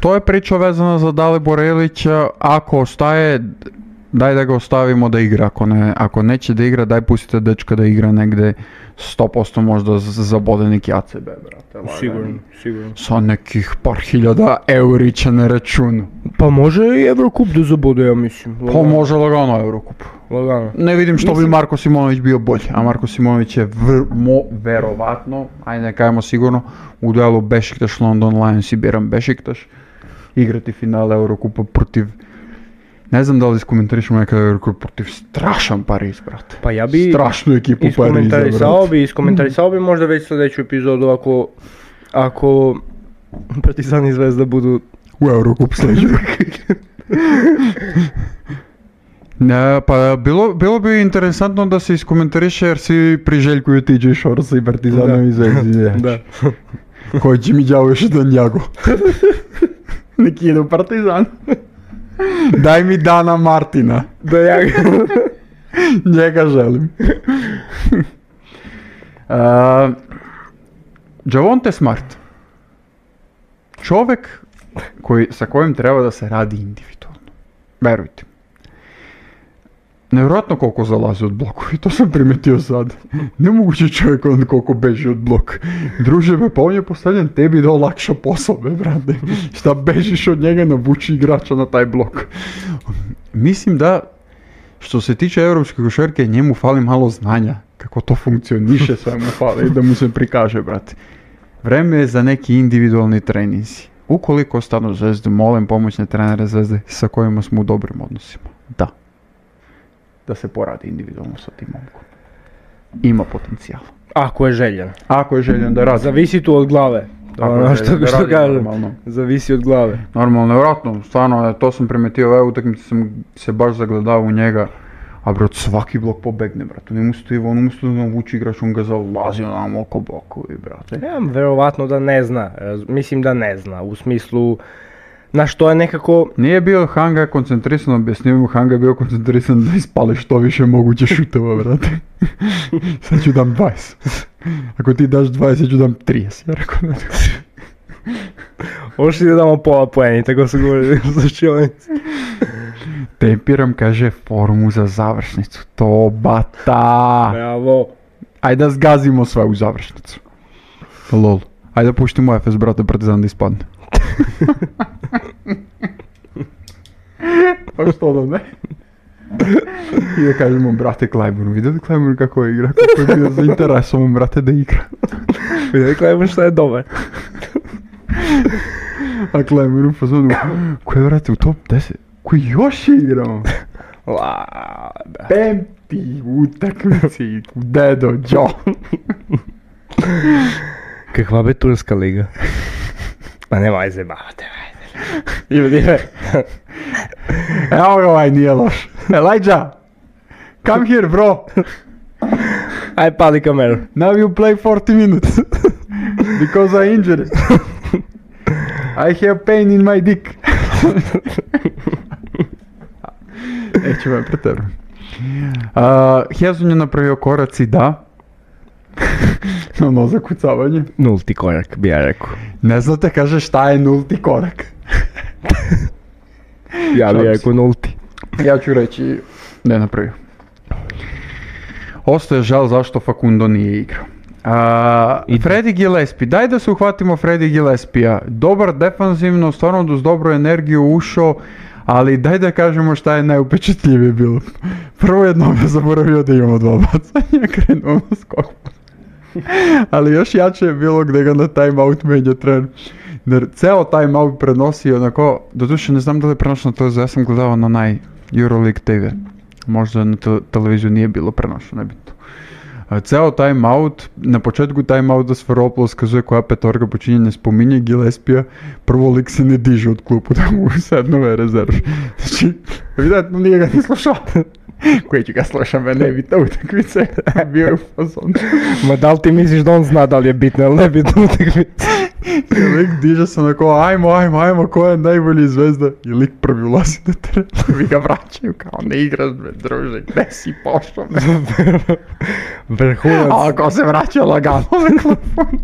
To je priča vezana za Dalibora Ilića, ako ostaje, daj da ga ostavimo da igra, ako neće da igra, daj pustite dečka da igra negde 100% možda zabode neki ACB, brate. Sigurno. Sa nekih par hiljada eurića na računu. Pa može i Eurocup da zabode, ja mislim. Pa može lagano Eurocup. Lagano. Ne vidim što bi Marko Simonović bio bolji, a Marko Simonović je verovatno, ajde ne kajemo sigurno, u duelu Bešiktaš London Lions i biram Bešiktaš, igrati finale Eurocupa protiv, ne znam da li iskomentarišemo nekada Eurocup protiv strašan Pariz, brate. Pa ja bi strašnu ekipu Pariza, brate. Iskomentalisao bi možda već sljedeću epizodu ako Partizan i Zvezda budu u Eurocup sljedeću. Pa bilo bi interesantno da se iskomentariše jer svi priželjkuju TJ Shortsa i Partizanom i Zvezdi. Da. Koji će mi đavo još jedan njago. Neki idu Partizan. Daj mi Dana Martina. Da ja njega želim. Javonte Smart. Čovjek sa kojim treba da se radi individualno. Verujte. Nevjerojatno koliko zalazi od bloku i to sam primetio sad. Nemoguće čovjek koliko beži od blok. Druže me, pa on je postavljen tebi da olakša posao, brate. Šta bežiš od njega, navuči igrača na taj blok. Mislim da, što se tiče europske košarke, njemu fali malo znanja. Kako to funkcioniše, sve mu fali da mu se prikaže, brate. Vreme je za neki individualni treninzi. Ukoliko ostanu Zvezdu, molim pomoćne trenere Zvezde sa kojima smo u dobrim odnosima. Da se poradi individualno sa tim momkom. Ima potencijal. Ako je željen. Ako je željen da radi. Zavisi tu od glave. Što kažem, zavisi od glave. Normalno, nevjerojatno, stvarno, to sam primetio, ove utakmice sam se baš zagledao u njega, A brate, svaki blok pobegne, brate. On umjesto da navuči igrač, on ga zalazi onamo oko blokovi, brate. Ja, verovatno da ne zna, mislim da ne zna, u smislu, na što je nekako... Nije bio Hanga koncentrisan, objasnio mu Hanga je bio koncentrisan da ispali što više moguće šutova, brate. Sad ću dam 20. Ako ti daš 20, ja ću dam 30, ja rekao da. Možeš da damo pola poeni, tako su govorili za Šionici. Tempiram, kaže, formu za završnicu. To bata! Bravo! Ajde da zgazimo sve u završnicu. Lol. Ajde da puštimo FS, brate, Partizan da ispadne. Pa što da ne? I da kažemo, brate, Klajburn, vidjeli Klajburn kako je igra? Kako je bio zainteresovan, brate, da igra? Vidjeli Klajburn što je dobar. A Klajburn u fazonu, ko je, brate, u top 10? Ko još je igrao? Pemti utakmici, dedo, Joe. Kakva be turska liga? Pa nemoj zajebavati, ajde. Evo ga ovaj nije loš. Elijah, come here bro. Aj pali kameru. Now you play 40 minutes. Because I injured. I have pain in my dick. Neću me preterujem. Hezon je napravio koraci, da. Ono zakucavanje. Nulti korak, bi ja rekao. Ne znate, kaže, šta je nulti korak? Ja bi rekao nulti. Ja ću reći, ne napravio. Ostaje žal zašto Facundo nije igrao. Freddy Gillespie, daj da se uhvatimo Freddy Gillespija. Dobar defanzivno, stvarno uz dobru energiju ušao, ali daj da kažemo šta je najupečatljivije bilo. Prvo jednom je zaboravio da imamo 2 bacanja, krenuo na skok. Ali još jače je bilo gdje ga na timeout menja trener. Jer ceo timeout prenosi onako, doduše ne znam da li je prenošeno to, ja sam gledao na onaj Euroleague TV. Možda na televiziju nije bilo prenošeno, nebitno. Ceo timeout, na početku timeouta Sferopoulos kazuje koja petorka počinje, ne spominje Gillespija, prvo lik se ne diže od klupu da mu sednove rezervi. Znači, evidentno nije ga ni slušao. Koji ću ga slušam, ne bitna utakmice, bio je u fazonu. Ma da li ti misliš da on zna da li je bitna ili ne bitna utakmica? I lik diže se onako, ajmo, ko je najbolji zvezda? I lik prvi ulazi na teren, vi ga vraćaju kao ne igraš, druže, gde si pošao? Vrhunac. A ako se vraća lagano na klupu.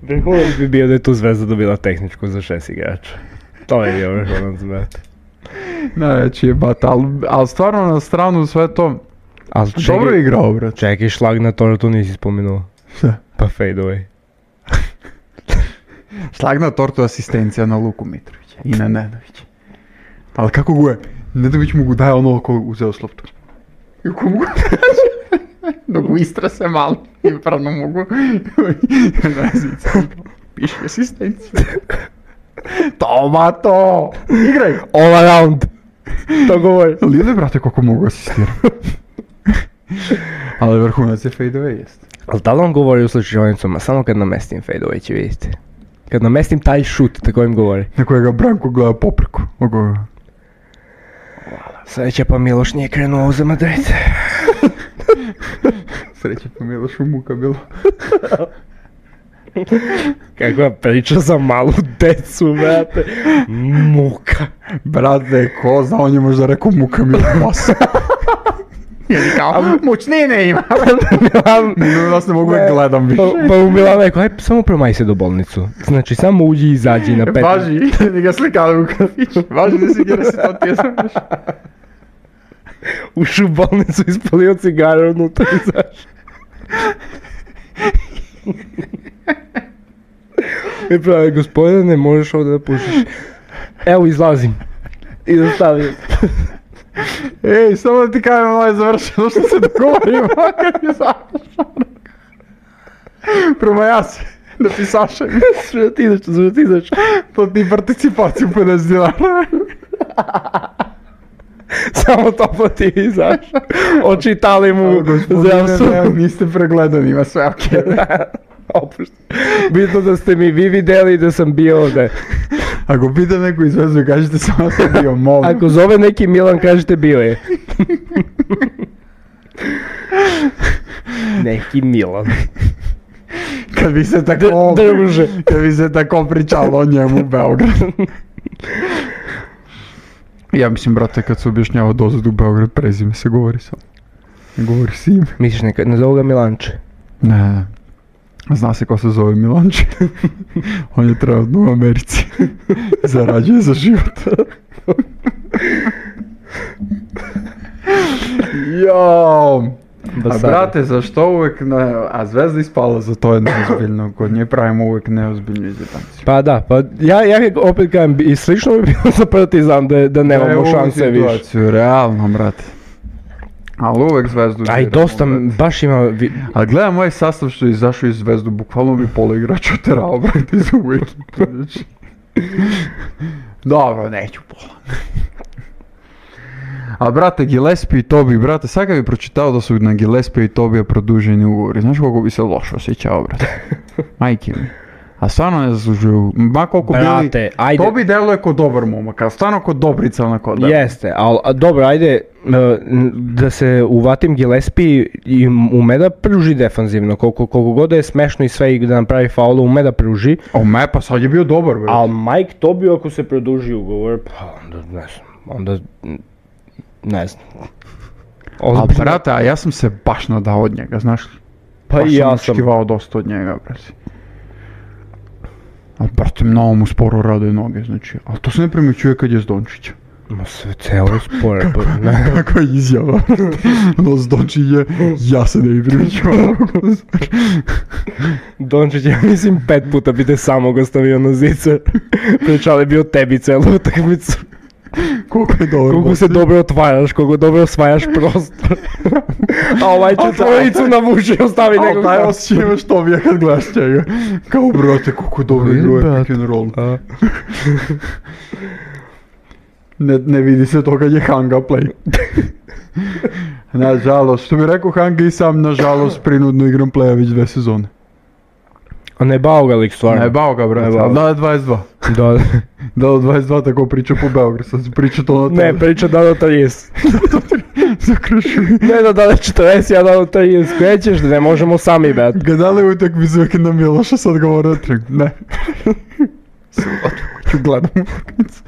Vrhunac bi bio da je tu zvezda dobila tehničku za 6 igrača. To je bio vrhunac, brate. Najveći je bat, ali stvarno na stranu sve to, dobro je igrao, brate. Čekaj, šlag na tortu nisi spomenuo. Šta? Pa fade away. Šlag na tortu asistencija na Luku Mitrovića i na Nedovića. Ali kako go je, Nedović mu go daje ono ko uzeo s loptu. I ko mu go daje, dok mu istrase malo i pravno mogu. Piši asistenciju. Tomato! Igraj! All around! To govori. Lili, brate, koliko mogu asistirati. Ali vrhunac je fade away, jest. Ali da li on govori u slučajnicama, samo kad namestim fade away će vidjeti. Kad namestim taj šut, tako im govori. Na kojega Branko gleda popreko. Sreća pa Miloš nije krenuo za Madrid. Sreća pa Miloš u muka bilo. Kakva priča za malu decu, brate. Muka. Brate, ko zna, on je možda rekao muka mi masa. Ili kao, mučnine ima. Nas ne mogu da gledam više. Pa u Milanu rekao, aj samo promaj se do bolnicu. Znači, samo uđi i izađi na 5. Važi, da ga slikali u kafiću. Važi da si gdje se to tjesmaš. Ušu u bolnicu, ispalio cigare unutra i izašao. I pravi, gospodine, ne možeš ovdje da pušiš. Evo, izlazim. I da stavim. Ej, samo da ti kajem, ovo je završeno što se dogovorimo, kad je završeno. Prvo ja se, da ti sašem. Sve ti ideš. To ti participaciju 50 dinara. Samo to pa ti izašao. Očitali mu zdravstvo. Niste pregledani, ima sve okej. Opušta. Bitno da ste mi vi vidjeli da sam bio ovdje. Ako pita neko iz vezu, kažete samo da sam bio, molim. Ako zove neki Milan, kažete bio je. Neki Milan. Kad bi se tako... Druže. Kad bi se tako pričalo o njemu u Beogradu. Ja mislim, brate, kad se objašnjava dozad u Beograd, prezime se govori samo. Ne govori se ime. Misliš ne zovu ga Milanče? Ne. Zna se ko se zove Milanče. On je trenutno u Americi. Zarađuje za život. Jao. A brate, zašto uvek a Zvezda ispala, za to je neozbiljno, kod nje pravimo uvek neozbiljnu izvjetaciju. Pa da, pa ja opet kažem, i slično bi bilo za Partizan da nemamo šanse više. Situaciju, realno, brate. Ali uvek Zvezdu... Aj, dosta, baš ima... Ali gledam ovaj sastav što je izašao iz Zvezdu, bukvalno bi pola igrača oterao, brate, iz uvek. Dobro, neću pola. A brate, Gillespie i Tobi, brate, sad kad bi pročitao da su na Gillespie i Tobija produženi ugovori, znaš koliko bi se loše osjećao, brate? Majke mi. A stvarno ne zaslužuju, ma koliko brate, bili, ajde. Tobi deluje kod dobar momak, a stvarno kod Dobrica onako da. Jeste, ali dobro, ajde, da se uvatim Gillespie i ume da pruži defanzivno, koliko god da je smešno i sve i da napravi faulu, ume da pruži. A ume, pa sad je bio dobar, brate. Ali Mike Tobi ako se produži ugovor, pa onda ne znam. Ali brate, a ja sam se baš nadao od njega, znaš li? Pa i ja sam očekivao dosta od njega, brate. Ali brate, mnogo mu sporo rade noge, znači. Ali to se ne primjećuje kad je s Dončića. Ma sve celo sporo, pa ne. Kakva izjava, no s Dončića, ja se ne bi primjećuvao. Dončić, ja mislim 5 puta bi te samog ostavio na zicer. Pričali bi o tebi celu utakmicu. Koliko je dobro. Koliko se dobro otvaraš, koliko dobro osvajaš prostor. A ovaj će tvojicu na muši ostavi nekog. Ali taj osjećaj imaš Tobija kad gledaš njega. Kao brate, koliko dobro igruje pick and roll. Ne vidi se to kad je Hanga play. Nažalost, što bi rekao Hanga i sam, nažalost, prinudno igram playa već 2 sezone. A ne bao ga lik stvarno. Ne bao ga, brate, ali da je 22. Da. Da od 22 tako priča po Beogradu, sad se priča to na tebe. Ne, priča da do 30. Zakrušuju. Ne da je 40, ja da do 30 krećeš, da ne možemo sami bet. Gledali utakmicu uvijek na Miloša, sad govore o trik. Ne. Ću gledam utakmicu.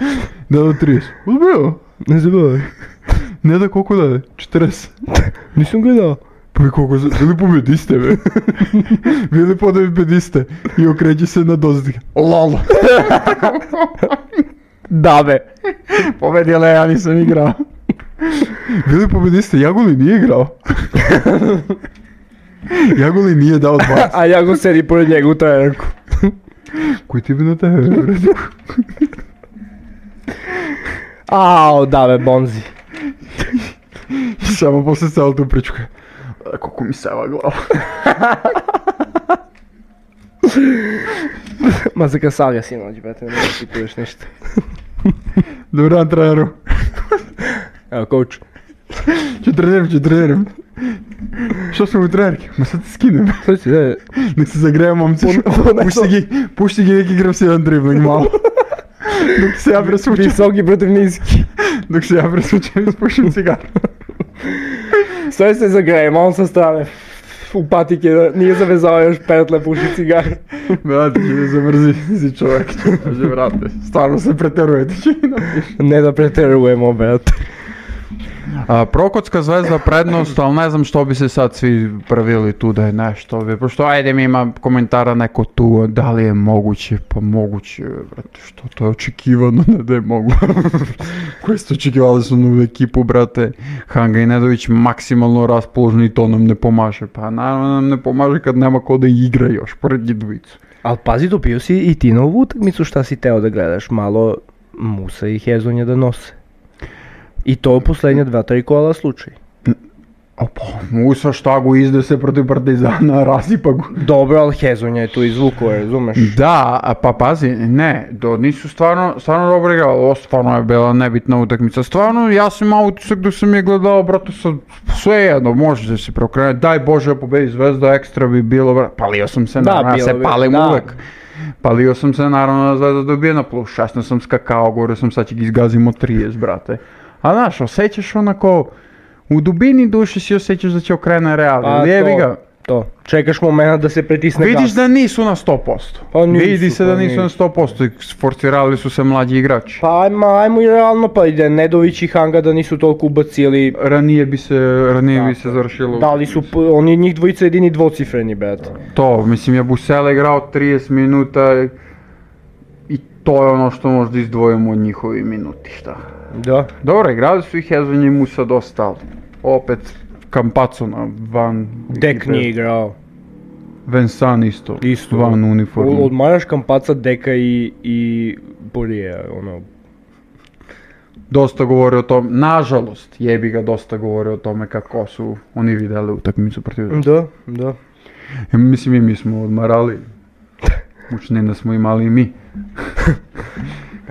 Da do 30. Uzbio. Ne zabavaj. Ne da koliko da je? 40. Nisam gledao. Pa i koliko, bili pobediste, be. Bili pobediste. I okreće se na dozdike. Lolo. Da be. Pobedile, ja nisam igrao. Bili pobediste, Jaguli nije igrao. Jaguli nije dao 20. A Jago sedi pored njega u trenerku. Koji ti bi na tebe, brate? Ao, da be, bonzi. I samo posle celo tu priču. Koliko mi seva glava. Ma se kasalja sinoć, brate, ne ti piješ ništa. Dobar dan, treneru. Evo, coach. Ću treniram. Što sam u trenerki? Ma sad ti skinem. Sad si, da. Nek se zagreje momci. Pušti gi neki igram si jedan dribling malo. Dok se ja presvučem. Visoki protiv niski. Dok se ja presvučem i spušim cigar. Sve se zagrejem, on sa strane. U patike, nije zavezao još petle, puši cigar. Brate, će me zamrzi si čovjek. Kaže, brate, stvarno se preteruje, ti će mi napiši. Ne da preterujemo, brate. Prokotska Zvezda prednost, ali ne znam što bi se sad svi pravili tu da je nešto. Pošto ajde mi ima komentara neko tu, da li je moguće, pa moguće, brate, što to je očekivano, ne da je moguće. Koji ste očekivali su novu ekipu, brate, Hanga i Nedović maksimalno raspoložni i to nam ne pomaže. Pa naravno nam ne pomaže kad nema ko da igra još, pored njih dvojicu. Ali pazi, dobio si i ti na ovu utakmicu, šta si teo da gledaš, malo Musa i Hezonja da nose. I to u posljednje 2-3 kola slučaj. Opa, Musa štagu izde se protiv Partizana, rasipa go. Dobro, ali Hezonja je tu izvukao, razumeš? Da, pa pazi, ne, nisu stvarno dobro igrali, ovo stvarno je bila nebitna utakmica. Stvarno, ja sam imao utisak da sam je gledao, brate, sve jedno, može da se preokrenuti, daj Bože pobedi Zvezda, ekstra bi bilo, brate, palio sam se, naravno, ja se palim uvek. Palio sam se, naravno, da Zvezda dobije na plus 16 sam skakao, govorio sam sad će ga izgazimo 30, brate. A znaš, osjećaš onako u dubini duše si osjećaš da će okrene Real. Pa Jebi ga. to. Čekaš momenta da se pritisne gas. Vidiš da nisu na 100%. Pa nisu, Vidi se da pa nisu na 100% i sforcirali su se mlađi igrači. Pa ajmo i realno, pa ide Nedović i Hanga da nisu toliko ubacili. Ranije bi se završilo. Da li su oni njih dvojica jedini dvocifreni, brate. To, mislim je Busele igrao 30 minuta i to je ono što možda izdvojimo od njihovi minuti, šta. Da. Dobro, igrali su i Hezonj i Musa dosta, ali opet Campazzo van Dek ekipe. nije igrao. Vensan isto van uniforme. Odmaraš Campazza, Deka i Borija, ono. Dosta govori o tom, nažalost, jebi ga dosta govori o tome kako su oni vidjeli utakmicu protiv. Da. Mislim i mi smo odmarali. Mučnina smo imali i mi.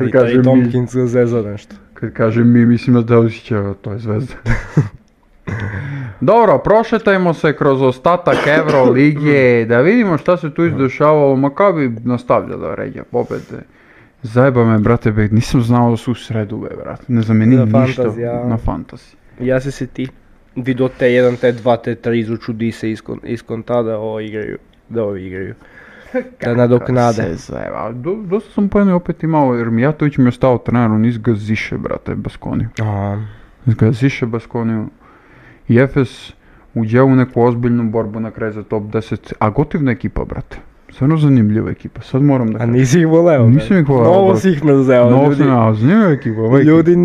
I Tompkins zeza nešto. Kad kažem mi, mislim da Delisića, to je zvezda. Dobro, prošetajmo se kroz ostatak Euroligije, da vidimo šta se tu izdešavalo. Makabi nastavlja da ređa pobjede. Zajeba me, brate, nisam znao da su u sredu, brate. Ne zamenim ništa na fantaziji. Ja se ti vidio T1, T2, T3 izuču di se iskon tada igraju, da ovi igraju. Da nadoknade. Dosta sam pojene opet imao, jer Mijatović mi je ostao trener, on izgaziše, brate, Baskoniju. Izgaziše Baskoniju. I Efes uđe u neku ozbiljnu borbu na kraj za top 10, a gotivna ekipa, brate. Stvarno zanimljiva ekipa, sad moram da kažem. A nisi ih voleo? Nisam ih voleo. Novo si ih mrzeo. Zanimljiva ekipa. Ljudi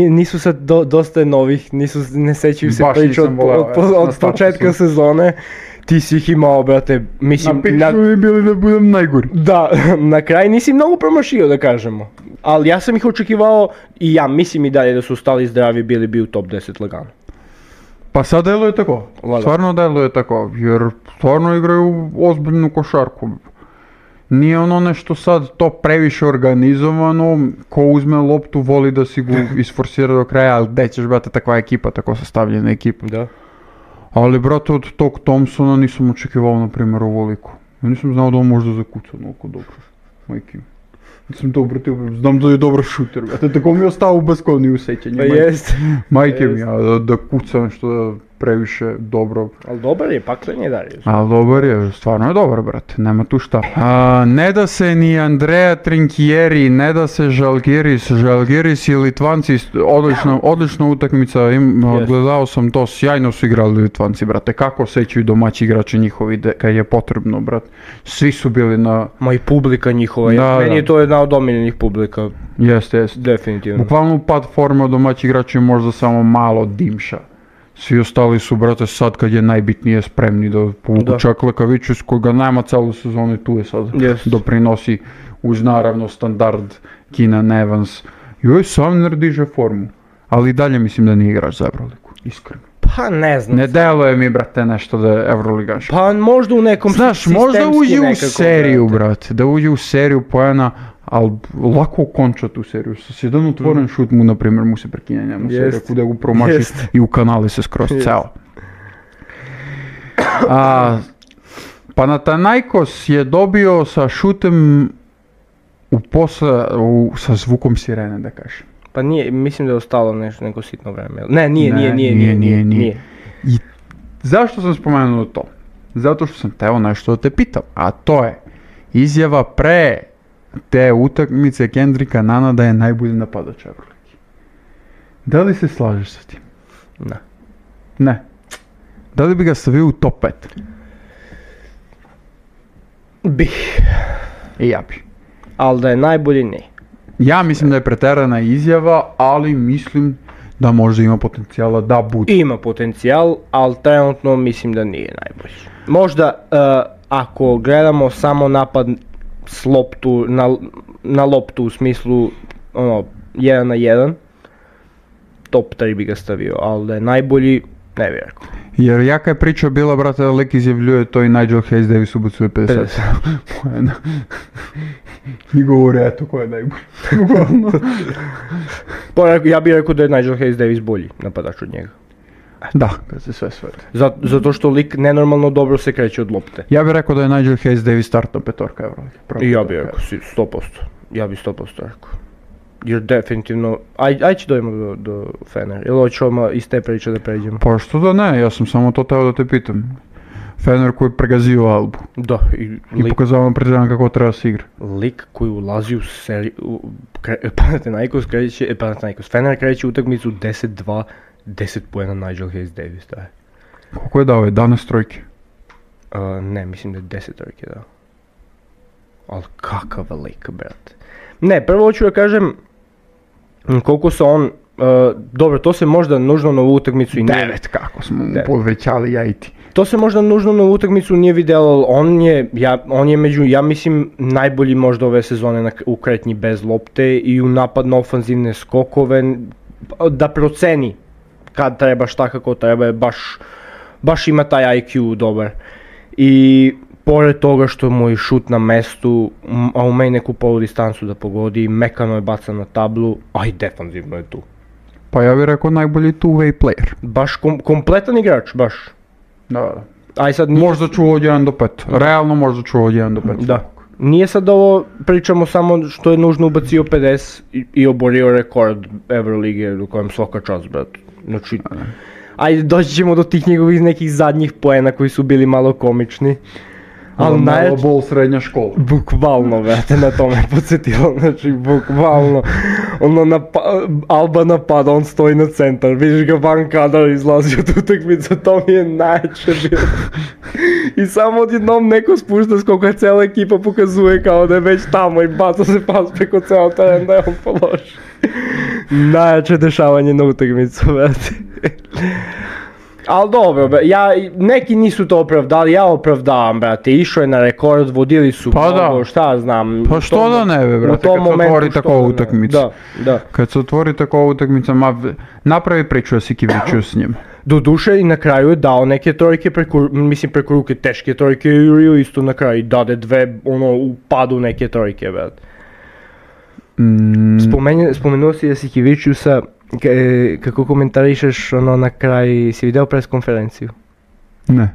nisu sad dosta novih, ne sećaju se priču od početka sezone. Ti si ih imao, brate, mislim... Na piču mi bili da budem najgori. Da, na kraj nisi mnogo promašio, da kažemo. Ali ja sam ih očekivao i ja mislim i dalje da su stali zdravi, bili bi u top 10 lagano. Pa sad deluje tako, stvarno deluje tako, jer stvarno igraju ozbiljnu košarku. Nije ono nešto sad to previše organizovano, ko uzme loptu voli da si ga isforsira do kraja, ali gdje ćeš, brate, takva ekipa, tako sastavljena ekipa. Da. Ali, brate, od tog Thompsona nisam očekivao, na primjer, ovoliku. Ja nisam znao da on možda zakuca onoliko dobro, majke mi. Nisam to obratio, znam da je dobar šuter, brate, tako mi je ostao u Baskoniji u sećanju. Pa jest. Majke mi, da kuca nešto previše dobro. Ali dobar je, paklen je dalje. Ali dobar je, stvarno je dobar, brate, nema tu šta. Ne da se ni Andrea Trinchieri, ne da se Žalgiris i Litvanci, odlična utakmica, gledao sam to, sjajno su igrali Litvanci, brate, kako osjećaju domaći igrači njihovi kad je potrebno, brate. Svi su bili na... Ma i publika njihova, meni je to jedna od omiljenih publika. Jeste. Definitivno. Bukvalno pad forma od domaći igrači možda samo malo dimša. Svi ostali su, brate, sad kad je najbitnije spremni da povuku čak Lekavićus koga nema celu sezonu i tu je sad doprinosi uz naravno standard Keenan Evans. Joj, Sumner diže formu, ali i dalje mislim da nije igrač za Euroligu, iskreno. Pa ne znam. Ne deluje mi, brate, nešto da je Euroligaš. Pa možda u nekom sistemski nekako. Znaš, možda uđe u seriju, brate, da uđe u seriju poena, ali lako konča tu seriju. Sa jedan otvoren šut mu, na primjer, mu se prekine njemu seriju, kuda ga promaši i u kanali se skroz ceo. Panathinaikos je dobio sa šutem sa zvukom sirene, da kažem. Pa nije, mislim da je ostalo neko sitno vreme. Ne, nije. I zašto sam spomenuo to? Zato što sam teo nešto da te pitam, a to je izjava pre te utakmice Kendricka Nana da je najbolji napadač Euroligi. Da li se slažeš sa tim? Ne. Da li bi ga stavio u top 5? Bi. I ja bi. Ali da je najbolji, ne. Ja mislim da je preterana izjava, ali mislim da možda ima potencijala da bude. Ima potencijal, ali trenutno mislim da nije najbolji. Možda ako gledamo samo napad s loptu, na loptu u smislu 1 na 1, top 3 bi ga stavio, ali da je najbolji, ne bi rekao. Jer jaka je priča bila, brate, da lik izjavljuje to i Nigel Hayes Davis ubacuje 50 poena. I govore, eto ko je najbolji. Ja bih rekao da je Nigel Hayes Davis bolji napadač od njega. Da, kad se sve svete. Zato što lik nenormalno dobro se kreće od lopte. Ja bih rekao da je Nigel Hayes Davis startna petorka Euroligi. I ja bih rekao 100%. Ja bih 100% rekao. jer definitivno, aj će dojmo do Fener, ili hoćemo iz te priče da pređemo? Pa što da ne, ja sam samo to teo da te pitam. Fener koji je pregazio Albu. Da, I pokazao nam Partizan kako treba se igra. Lik koji ulazi u seriju, Panathinaikos Fener kreće utakmicu 10-2, 10 poena Nigel Hayes Davis daje. Koliko je dao? 11 trojke? Ne, mislim da je 10 trojke dao. Ali kakav lik, brate. Ne, prvo hoću da kažem koliko se on, dobro, to se možda nužno na ovu utakmicu i nije... 9, kako smo mu povećali ja i ti. To se možda nužno na ovu utakmicu nije vidjelo, on je među, ja mislim, najbolji možda ove sezone u kretnji bez lopte i u napadno ofanzivne skokove, da proceni kad treba, šta kako treba, baš ima taj IQ dobar. I pored toga što mu je šut na mestu, a umeje neku polu distancu da pogodi, mekano je bacan na tablu, a i defanzivno je tu. Pa ja bih rekao najbolji two-way player. Baš kompletan igrač, baš. Da. Aj sad možda čuo od 1 do 5, realno možda čuo od 1 do 5. Da. Nije sad ovo, pričamo samo što je nužno ubacio 50 i oborio rekord Euroligije u kojem svaka čast, brat. Znači, ajde doći ćemo do tih njegovih nekih zadnjih poena koji su bili malo komični. Ali malo bol srednja škola. Bukvalno, brate, na to me podsjetilo, znači bukvalno. Ono, Alba napada, on stoji na centar, vidiš ga van kadar izlazi od utakmice, to mi je najče bilo. I samo odjednom neko spušta skoka, cijela ekipa pokazuje kao da je već tamo i baca se pas preko cijela teren da je on položi. Najjače dešavanje na utakmicu, brate. Ali dobro, neki nisu to opravdali, ja opravdavam, brate, išao je na rekord, vodili su mnogo, šta znam. Pa što da ne be, brate, kad se otvori takova utakmica. Da. Kad se otvori takova utakmica, napravi priču da si Kiviću s njim. Doduše i na kraju je dao neke trojke preko ruke, teške trojke i isto na kraju dade dve, u padu neke trojke, brate. Spomenuo si Jasikevičiusa, kako komentarišeš na kraj, si vidio pres konferenciju? Ne.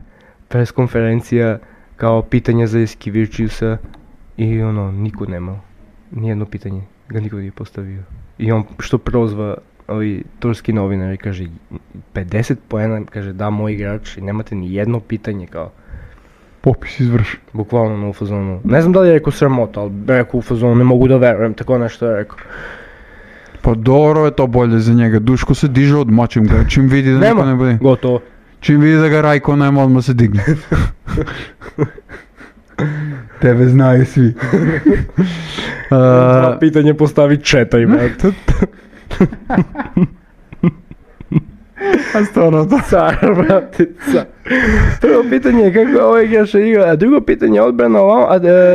Pres konferencija kao pitanja za Jasikevičiusa i niko nemao, nijedno pitanje ga niko nije postavio. I on što prozva ovi turski novinari, kaže 50 poena, kaže da moj igrač i nemate ni jedno pitanje kao. Popis izvršen. Bukvalno u fazonu. Ne znam da li je rekao sramota, ali rekao u fazonu, ne mogu da verujem, tako nešto je rekao. Pa dobro je to bolje za njega, Duško se diže odmačim ga, čim vidi da niko ne bude. Gotovo. Čim vidi da ga Rajko nema, odmah se digne. Tebe znaju svi. Pitanje postavi 4, brate. A stvarno to. Car, brate, car. Prvo pitanje je kako ovaj igrač igra, a drugo pitanje je odbrana ovamo,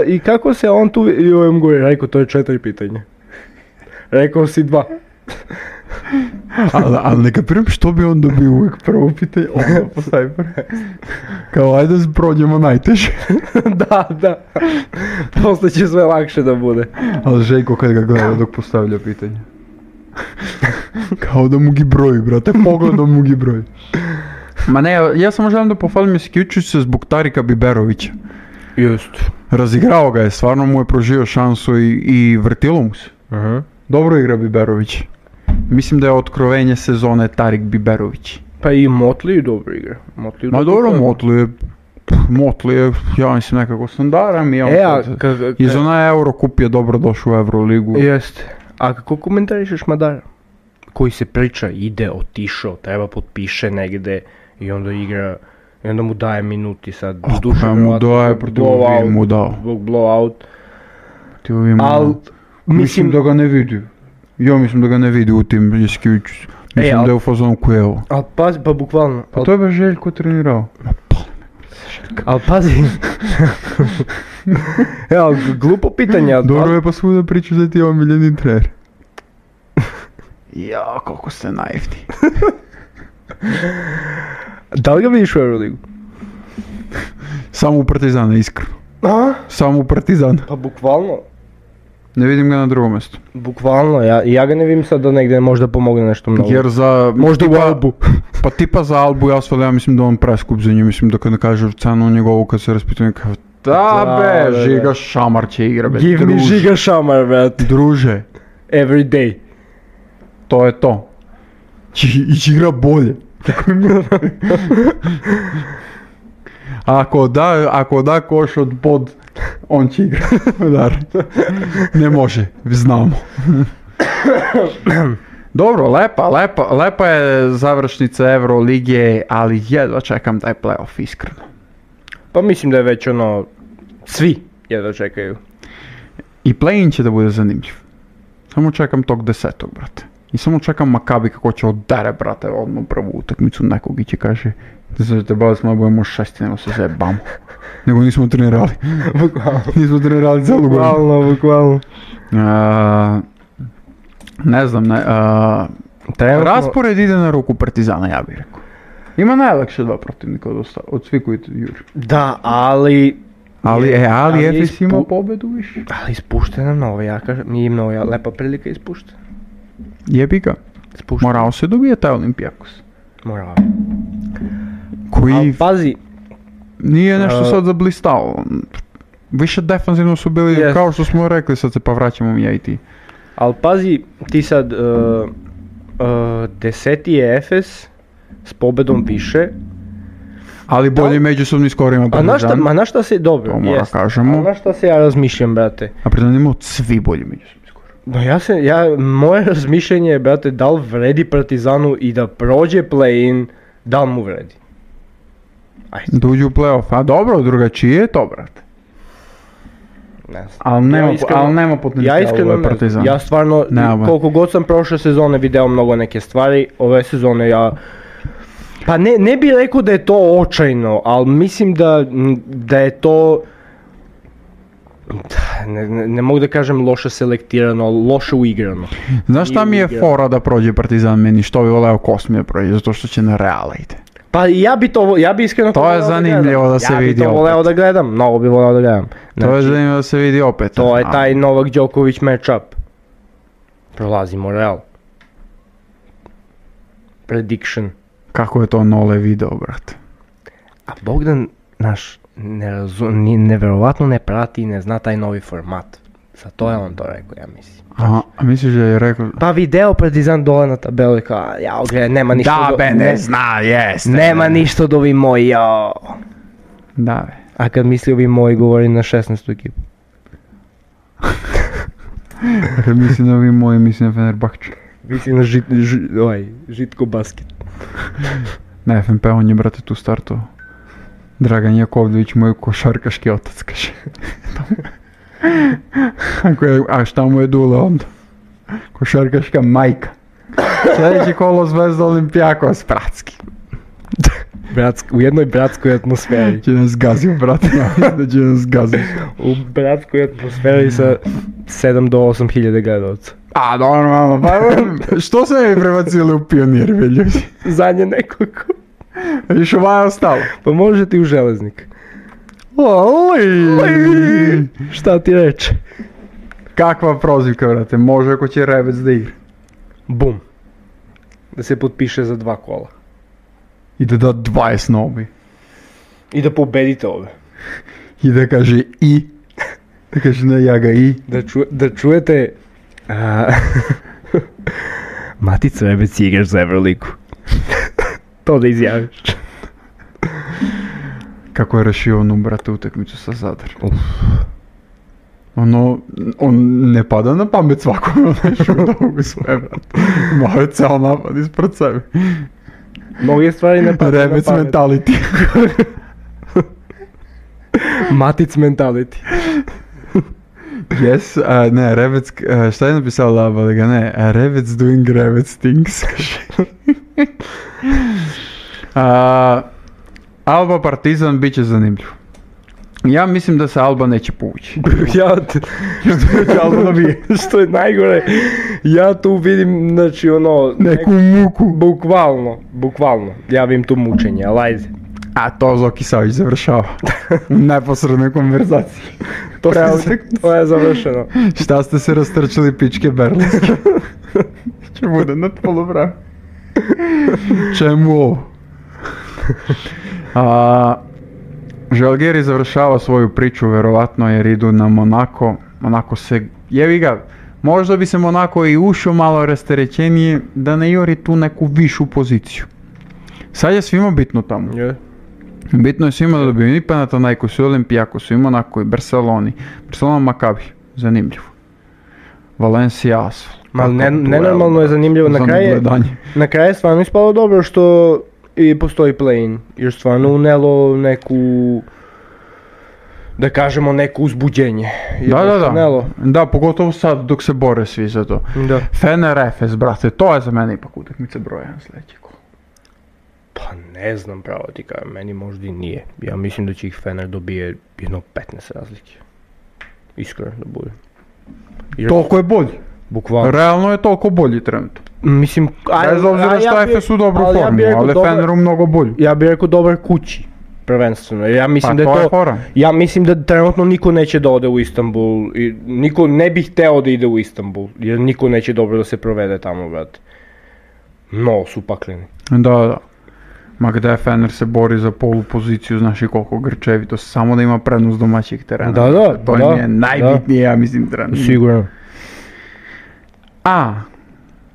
i kako se on tu, i ovom gore, Rajko, to je 4 pitanja. Rekao si 2. Ali ne kapiram što bi on dobio uvijek prvo pitanje, onda postavi prvo. Kao ajde prođemo najteže. Da. Posle će sve lakše da bude. Ali Željko kad ga gleda dok postavlja pitanje. Kao da mu gi broji, brate, pogledom mu gi broji. Ma ne, ja samo želim da pohvalim Jasikevičiusa zbog Tarika Biberovića. Just. Razigrao ga je, stvarno mu je proživio šansu i vrtilo mu se. Dobro igra Biberović. Mislim da je otkrovenje sezone Tarik Biberović. Pa i Motley dobro igra. Ma dobro, Motley je, ja mislim, nekako standaran i on iz onaj Eurocup je dobro došao u Euroligu. Jeste. A kako komentarišeš Madara? Koji se priča, ide, otišao, treba potpiše negde i onda igra, i onda mu daje minuti sad. Pa mu daje, protiv ovim mu dao. Zbog blowout. Mislim da ga ne vidi. Ja mislim da ga ne vidi u tim Jasikevičiusu. Mislim da je u fazonu Kujevo. Ali pazi, pa bukvalno. Pa to je baš Željko trenirao. Ali pazi. Ali glupo pitanje. Dobro je pa svuda pričaš da ti je omiljeni trener. Ja, koliko ste naivni. Da li ga vidiš u Euroligu? Samo u Partizana, iskreno. Samo u Partizana. Pa bukvalno. Ne vidim ga na drugom mjestu. Bukvalno, ja ga ne vidim sad da negdje možda pomogne nešto mnogo. Jer za... Možda u Albu. Pa tipa za Albu, ja mislim da on preskup za nju, mislim da kad ne kaže cenu njegovu kad se raspitujem kao da be, Žiga Šamar će igra, be, Give me Žiga Šamar, bet. Druže, every day. To je to. Ići igra bolje. Ako da koš od pod, on će igra. Ne može, znamo. Dobro, lepa je završnica Euroligije, ali jedva čekam taj playoff, iskreno. Pa mislim da je već svi jedva čekaju. I play-in će da bude zanimljiv. Samo čekam tog 10. brate. I samo čekam Makabi kako će odere, brate, odmah prvu utakmicu nekog i će kaže da se te bavili smo, budemo 6, nego se zajebamo. Nego nismo trenirali. Bukvalno. Nismo trenirali celu godinu. Bukvalno. Ne znam, raspored ide na ruku Partizana, ja bih rekao. Ima najlakše dva protivnika od svih koji juri. Da, ali Efes ima pobedu više. Ali ispušte nam novo, ja kažem, nije im nova lepa prilika ispušte. Jebi ga. Morao se dobije taj Olimpijakos. Morao. Koji... Ali pazi. Nije nešto sad zablistao. Više defanzivno su bili, kao što smo rekli, sad se pa vraćamo mi ja i ti. Ali pazi, ti sad 10. je Efes s pobedom više. Ali bolje međusobni skor ima Partizan. Ma na šta se, dobro, to mora kažemo. A na šta se ja razmišljam, brate? A Partizan imao svi bolji međusobni skor. No moje razmišljenje je, brate, da li vredi Partizanu i da prođe play-in, da li mu vredi? Ajde. Da uđe u play-off, a dobro, drugačije je to, brate. Ne znam. Ali nema potencijala ovaj Partizan. Ja stvarno, koliko god sam prošle sezone video mnogo neke stvari, ove sezone pa ne bih rekao da je to očajno, ali mislim da je to, ne mogu da kažem loše selektirano, loše uigrano. Znaš šta mi je fora da prođe Partizan meni, što bi voleo Kosmije prođe, zato što će na Reala ide. Pa ja bi iskreno to je zanimljivo da se vidi opet. Ja bi to voleo da gledam, mnogo bi voleo da gledam. To je zanimljivo da se vidi opet. To je taj Novak Đoković matchup. Prolazimo Real. Prediction. Kako je to Nole video, brate? A Bogdan naš neverovatno ne prati i ne zna taj novi format. Zato je on to rekao, ja mislim. Aha, a misliš da je rekao... Pa video Partizan dole na tabelu i kao, nema ništa ne zna, jeste. Nema ništa od ovi moji, Da, be. A kad misli ovi moji, govori na 16. ekipu. Kad misli na ovi moji, misli na Fenerbahče. Misli na Žitko basket. Na FNP on je, brate, tu startao. Dragan Jakovljević, moj košarkaški otac, kaže. A šta mu je Dule onda? Košarkaška majka. Sljedeći kolo Zvezda Olimpijakos, bratski. U jednoj bratskoj atmosferi. Će nas gazio, brate, ja mislim da će nas gazio. U bratskoj atmosferi sa 7 do 8 hiljade gledalca. A, normalno, pa što se mi prebacili u Pionir, ljudi? Zadnje nekoliko. Viš ovaj je ostalo? Pa može ti u Železnik. Šta ti reče? Kakva prozivka, brate, može ako će Rebec da igra. Bum. Da se potpiše za 2 kola. I da da 20 nobi. I da pobedite ove. I da kaže i. Da kaže ne, ja ga i. Da čujete... Matic Rebec igraš za Euroligu. To da izjaviš. Kako je rešio onu, brate, utakmicu sa Zadar. On ne pada na pamet svakome, on je šudogu sve, brate. Imao je ceo napad ispred sebe. Mnoge stvari ne pada na pamet. Rebec mentality. Matic mentality. Yes, ne, Rebec, šta je napisao Laba, da ga ne, Rebec doing Rebec things. Alba Partizan bit će zanimljiv. Ja mislim da se Alba neće povući. Što je najgore, ja tu vidim, znači neku muku. Bukvalno, ja vidim tu mučenje, ali ajde. A to Zoki Savić završava. U neposrednoj konverzaciji. To je završeno. Šta ste se rastrčili pičke berlinske? Će bude na polovrame. Čemu ovo? Žalgiris završava svoju priču verovatno jer idu na Monako. Monako se, jevi ga, Možda bi sam onako i ušao malo rasterećenije da ne juri tu neku višu poziciju. Sad je svima bitno tamo. Bitno je svima da dobiju i Panathinaikos i Olympiakos i Monaco i Barceloni. Barcelona Maccabi, zanimljivo. Valencia Asvel. Nenormalno je zanimljivo, na kraju je stvarno ispalo dobro što i postoji play-in, jer stvarno unelo neku, da kažemo, neko uzbuđenje. Da, pogotovo sad dok se bore svi za to. Da. Fener Efes, brate, to je za mene ipak utakmica broj 1 sljedeći kolo. Pa ne znam, pravo ti kažem, meni možda i nije. Ja mislim da će ih Fener dobije jedno 15 razlike. Iskreno da bude. Toliko je bolji. Bukvalno. Realno je toliko bolji trenutno. Mislim, bez obzira što Efes u dobru formu, ali Feneru mnogo bolji. Ja bih rekao dobar kući, prvenstveno. Ja mislim pa ja mislim da trenutno niko neće da ode u Istanbul, i niko ne bi hteo da ide u Istanbul, jer niko neće dobro da se provede tamo, brate. No, su pakleni. Da. Ma gde Fener se bori za polu poziciju, znaš i koliko grčevito, samo da ima prednost domaćih terena. Da. To im je najbitnije, ja mislim, trenutno. Sigurno.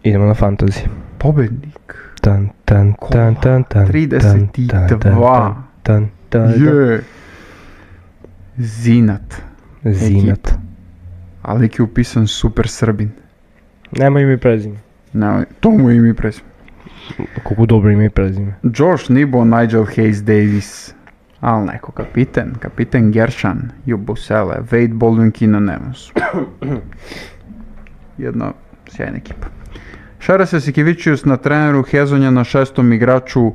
Idemo na fantasy. Pobednik. 32. Je. Zinat. Ali je upisan Super Srbin. Nema ime i prezime. To mu je ime i prezime. Koliko dobro ime i prezime. Josh Nebo, Nigel Hayes Davis. Ali neko kapiten Gershon, Jubusele, Wade Baldwin, Keenan Evans. Jedna sjajna ekipa. Šaras Jasikevičius na treneru, Hezonja na 6. igraču,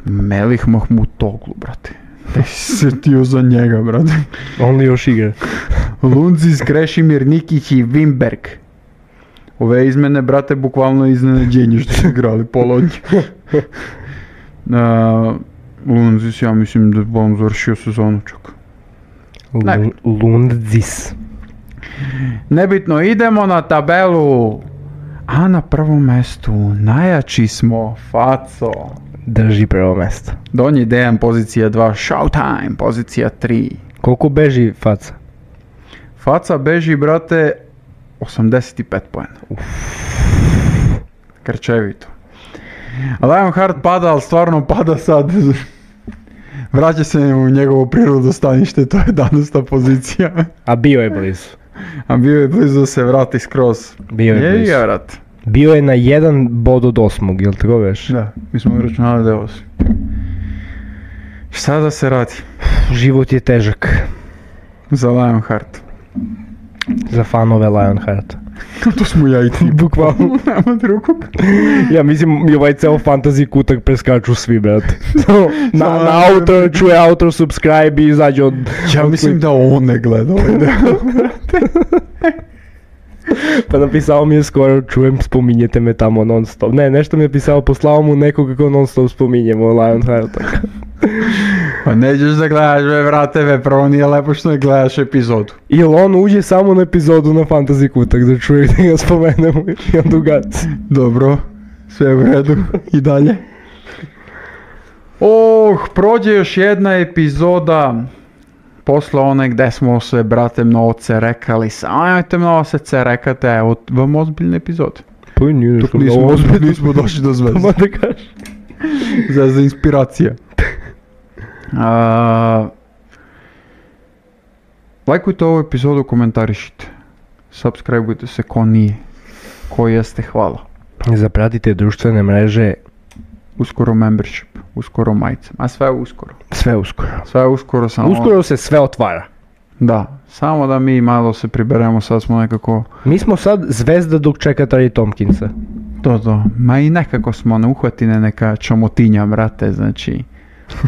Melih Mahmutoglu, brate. Da si se tio za njega, brate. On li još igra? Lundzis, Krešimir Nikić i Wimberg. Ove izmene, brate, bukvalno iznenađenje što su igrali pola od njih. Lundzis, ja mislim da bi on završio sezonu čak. Lundzis. Nebitno, idemo na tabelu. A na prvom mestu najjači smo, Faco. Drži prvo mesto. Donji Dejan, pozicija 2, Showtime, pozicija 3. Koliko beži Faca? Faca beži, brate, 85 poena. Krčevito. Lionheart pada, ali stvarno pada sad. Vraća se u njegovo prirodno stanište, to je 11. pozicija. A bio je blizu. Da se vrati skroz. Bio je blizu. Vrat. Bio je na 1 bod od 8, jel tako veš? Da, mi smo računali da je 8. Šta da se radi? Život je težak. Za Lionheart. Za fanove Lionhearta. To smo ja i ti. Bukvalno. Nema drugog. Ja mislim i ovaj ceo fantasy kutak preskaču svi, brate. Na autor, čuje autor, subscribe i izađe od... Ja mislim da on ne gleda ovaj deo. Pa napisao mi je skoro, čujem, spominjete me tamo non stop. Ne, nešto mi je pisao, poslao mu nekog kako non stop spominjemo Lionhearta. Pa nećeš da gledaš, vrate, prvo nije lepo što ne gledaš epizodu. Ili on uđe samo na epizodu na Fantasy Kutak da čuje da ga spomenemo i on ugaci. Dobro, sve u redu i dalje. Prođe još jedna epizoda posle one gde smo se, brate, mnogo cerekali. Ajte mnogo se cerekate, evo vam ozbiljne epizode. Pa nije nešto nismo došli do zvezde. Ma da kažeš. Zvezda inspiracija. Lajkujte ovu epizodu, komentarišite. Subscribeujte se ko nije. Ko jeste, hvala. Zapratite društvene mreže. Uskoro membership, uskoro majice. A sve uskoro. Sve uskoro. Samo... Uskoro se sve otvara. Da, samo da mi malo se priberemo, sad smo nekako... Mi smo sad zvezda dok čeka Trey Tompkinsa. To. Ma i nekako smo na uhvatine neka čomotinja, brate, znači...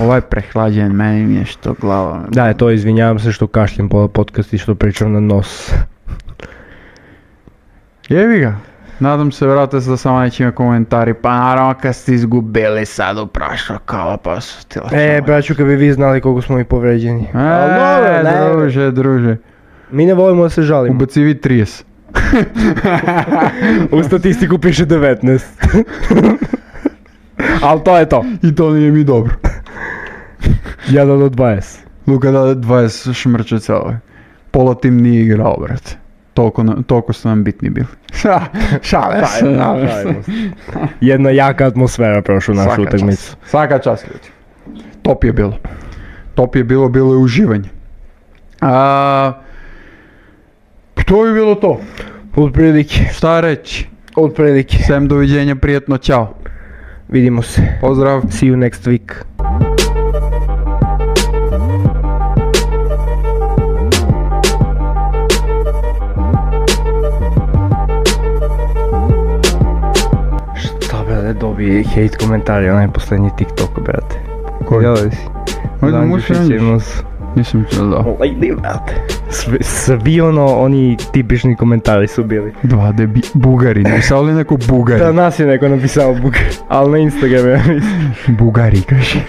Ovaj prehlađen, meni mi je što glava... Da, to izvinjavam se što kašljem po podcast i što pričam na nos. Jevi ga. Nadam se, vrate se da samo neće ima komentari, pa naravno kad ste izgubili sad u prošlo kola, pa su ti lačali. Braću, kad bi vi znali koliko smo i povređeni. Druže. Mi ne volimo da se žalimo. Ubaci vi 30. U statistiku piše 19. Ali to je to. I to nije mi dobro. 1 od 20. Luka da 20 šmrče celo. Pola tim nije igrao, brate. toliko su nam bitni bili. Šale se. Jedna jaka atmosfera prošla našu utakmicu. Svaka čast ljudi. Top je bilo. Bilo je uživanje. To je bilo to. Otprilike. Šta reći? Otprilike. Sem doviđenja, prijetno, ćao. Vidimo se. Pozdrav. See you next week. Šta brate, dobi hate komentari, onaj posljednji TikTok, brate. Koji? Gledali si? Ajde, možeš Nisam čuo da. Lady, brate. Svi oni tipični komentari su bili. Dva Bugari, napisao li neko Bugari? Da, nas je neko napisao Bugari, ali na Instagramu ja mislim. Bugari, kaže.